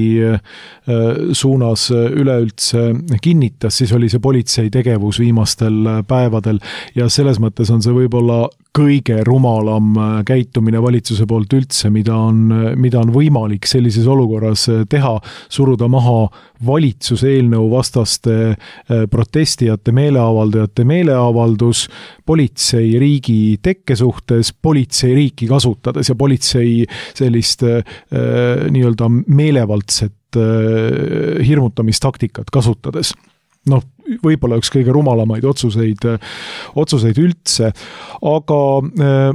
suunas üleüldse kinnitas, siis oli see politsei tegevus viimastel päevadel ja selles mõttes on see võib-olla kõige rumalam käitumine valitsuse poolt üldse, mida on, mida on võimalik sellises olukorras teha, suruda maha valitsuse eelnõu vastaste protestijate, meeleavaldajate meeleavaldus politsei riigi tekke suhtes, politsei riiki kasutades ja politsei sellist äh, nii-öelda meelevaldset äh, hirmutamistaktikat kasutades. noh, võib-olla üks kõige rumalamaid otsuseid, otsuseid üldse, aga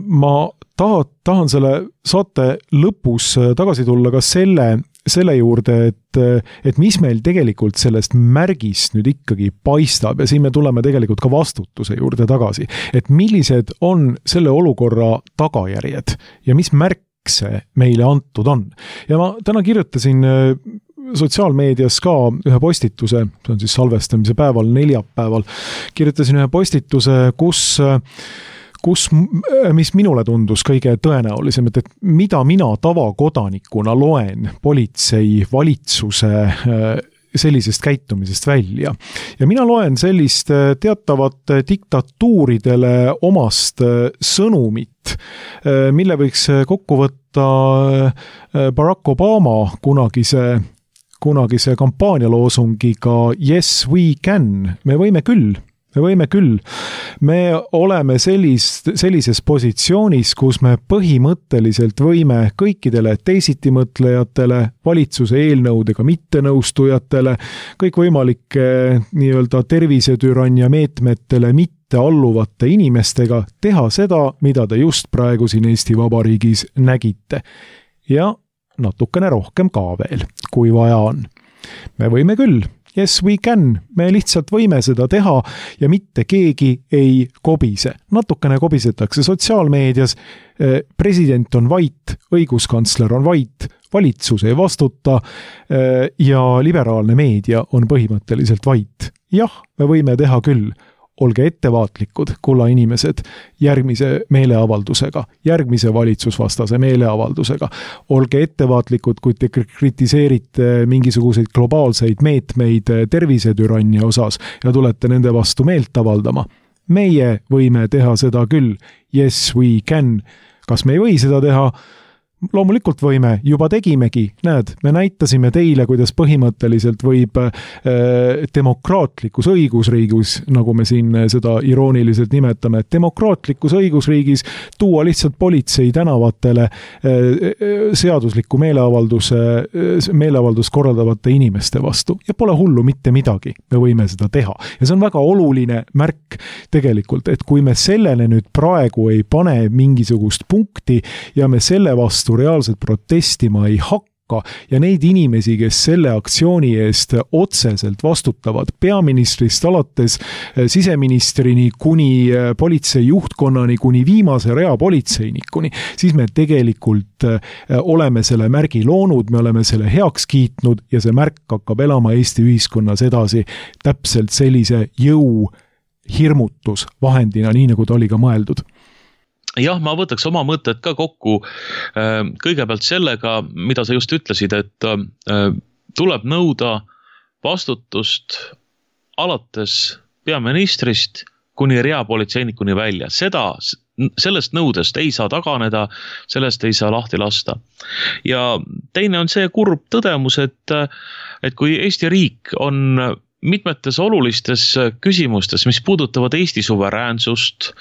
ma tahan, tahan selle saate lõpus tagasi tulla ka selle, selle juurde, et, et mis meil tegelikult sellest märgist nüüd ikkagi paistab ja siin me tuleme tegelikult ka vastutuse juurde tagasi, et millised on selle olukorra tagajärjed ja mis märk see meile antud on. Ja ma täna kirjutasin sotsiaalmeedias ka ühe postituse, see on siis salvestamise päeval, neljapäeval, kirjutasin ühe postituse, kus, kus, mis minule tundus kõige tõenäolisem, et, et mida mina tavakodanikuna loen politsei, valitsuse sellisest käitumisest välja. Ja mina loen sellist teatavat diktatuuridele omast sõnumit, mille võiks kokku võtta Barack Obama kunagise kunagise kampaanialoosungiga Yes we can, me võime küll, me võime küll. Me oleme sellist, sellises positsioonis, kus me põhimõtteliselt võime kõikidele teisitimõtlejatele, valitsuse eelnõudega mittenõustujatele, kõikvõimalike nii-öelda tervisetürannia meetmetele mitte alluvate inimestega teha seda, mida te just praegu siin Eesti Vabariigis nägite. Ja natukene rohkem ka veel, kui vaja on. Me võime küll, yes we can, me lihtsalt võime seda teha ja mitte keegi ei kobise. Natukene kobisetakse sotsiaalmeedias, president on vait, õiguskantsler on vait, valitsus ei vastuta ja liberaalne meedia on põhimõtteliselt vait. Jah, me võime teha küll. Olge ettevaatlikud, kulla inimesed, järgmise meeleavaldusega, järgmise valitsusvastase meeleavaldusega. Olge ettevaatlikud, kui te kritiseerite mingisuguseid globaalseid meetmeid tervisetürannia osas ja tulete nende vastu meelt avaldama. Meie võime teha seda küll. Yes, we can. Kas me ei või seda teha? Loomulikult võime, juba tegimegi, näed, me näitasime teile, kuidas põhimõtteliselt võib äh, demokraatlikus õigusriigis, nagu me siin seda irooniliselt nimetame, et demokraatlikus õigusriigis tuua lihtsalt politsei tänavatele äh, seadusliku meeleavalduse, meeleavaldus korraldavate inimeste vastu. Ja pole hullu mitte midagi, me võime seda teha. Ja see on väga oluline märk tegelikult, et kui me sellele nüüd praegu ei pane mingisugust punkti ja me selle vastu reaalselt protestima ei hakka ja neid inimesi, kes selle aktsiooni eest otseselt vastutavad, peaministrist alates siseministrini kuni politsei juhtkonnani, kuni viimase rea politseinikuni, siis me tegelikult oleme selle märgi loonud, me oleme selle heaks kiitnud ja see märk hakkab elama Eesti ühiskonnas edasi täpselt sellise jõu hirmutusvahendina, nii nagu ta oli ka mõeldud. Jah, ma võtaks oma mõtted ka kokku kõigepealt sellega, mida sa just ütlesid, et tuleb nõuda vastutust alates peaministrist kuni reapolitseinikuni välja. Seda, sellest nõudest ei saa taganeda, sellest ei saa lahti lasta. Ja teine on see kurb tõdemus, et, et kui Eesti riik on mitmetes olulistes küsimustes, mis puudutavad Eesti suveräänsust,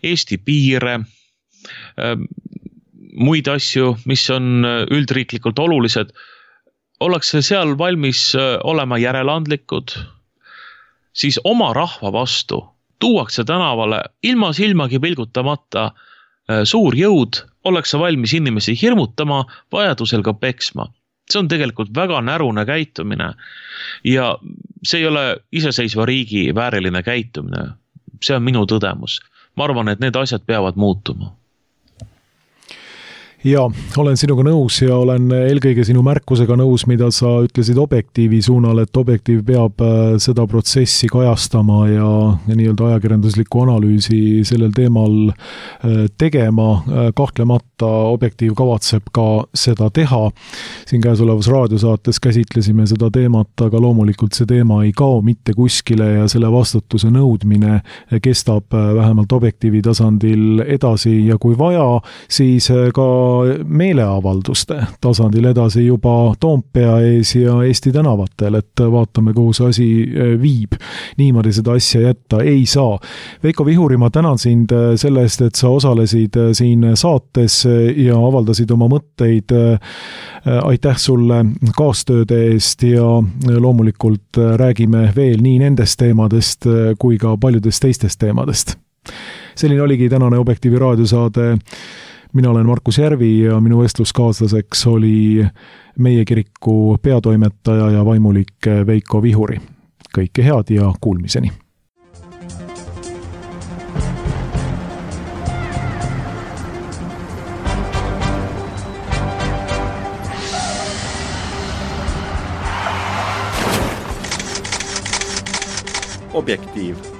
Eesti piire, muid asju, mis on üldriiklikult olulised, ollakse seal valmis olema järeleandlikud, siis oma rahva vastu tuuakse tänavale ilma silmagi pilgutamata suur jõud, ollakse valmis inimesi hirmutama, vajadusel ka peksma. See on tegelikult väga närune käitumine ja see ei ole iseseisva riigi vääriline käitumine. See on minu tõdemus. Ma arvan, et need asjad peavad muutuma. Ja, olen sinuga nõus ja olen eelkõige sinu märkusega nõus, mida sa ütlesid Objektiivi suunal, et Objektiiv peab seda protsessi kajastama ja, ja nii-öelda ajakirjanduslikku analüüsi sellel teemal tegema. Kahtlemata Objektiiv kavatseb ka seda teha. Siin käesolevas raadiosaates käsitlesime seda teemat, aga loomulikult see teema ei kao mitte kuskile ja selle vastutuse nõudmine kestab vähemalt Objektiivi tasandil edasi ja kui vaja, siis ka meeleavalduste tasandil edasi juba Toompea ees ja Eesti tänavatel, et vaatame, kuhu see asi viib. Niimoodi seda asja jätta ei saa. Veiko Vihuri, ma tänan sind selle eest, et sa osalesid siin saates ja avaldasid oma mõtteid. Aitäh sulle kaastööde eest ja loomulikult räägime veel nii nendest teemadest kui ka paljudest teistest teemadest. Selline oligi tänane Objektiivi raadiosaade. Mina olen Markus Järvi ja minu vestluskaaslaseks oli meie kiriku peatoimetaja ja vaimulik Veiko Vihuri. Kõike head ja kuulmiseni! Objektiiv.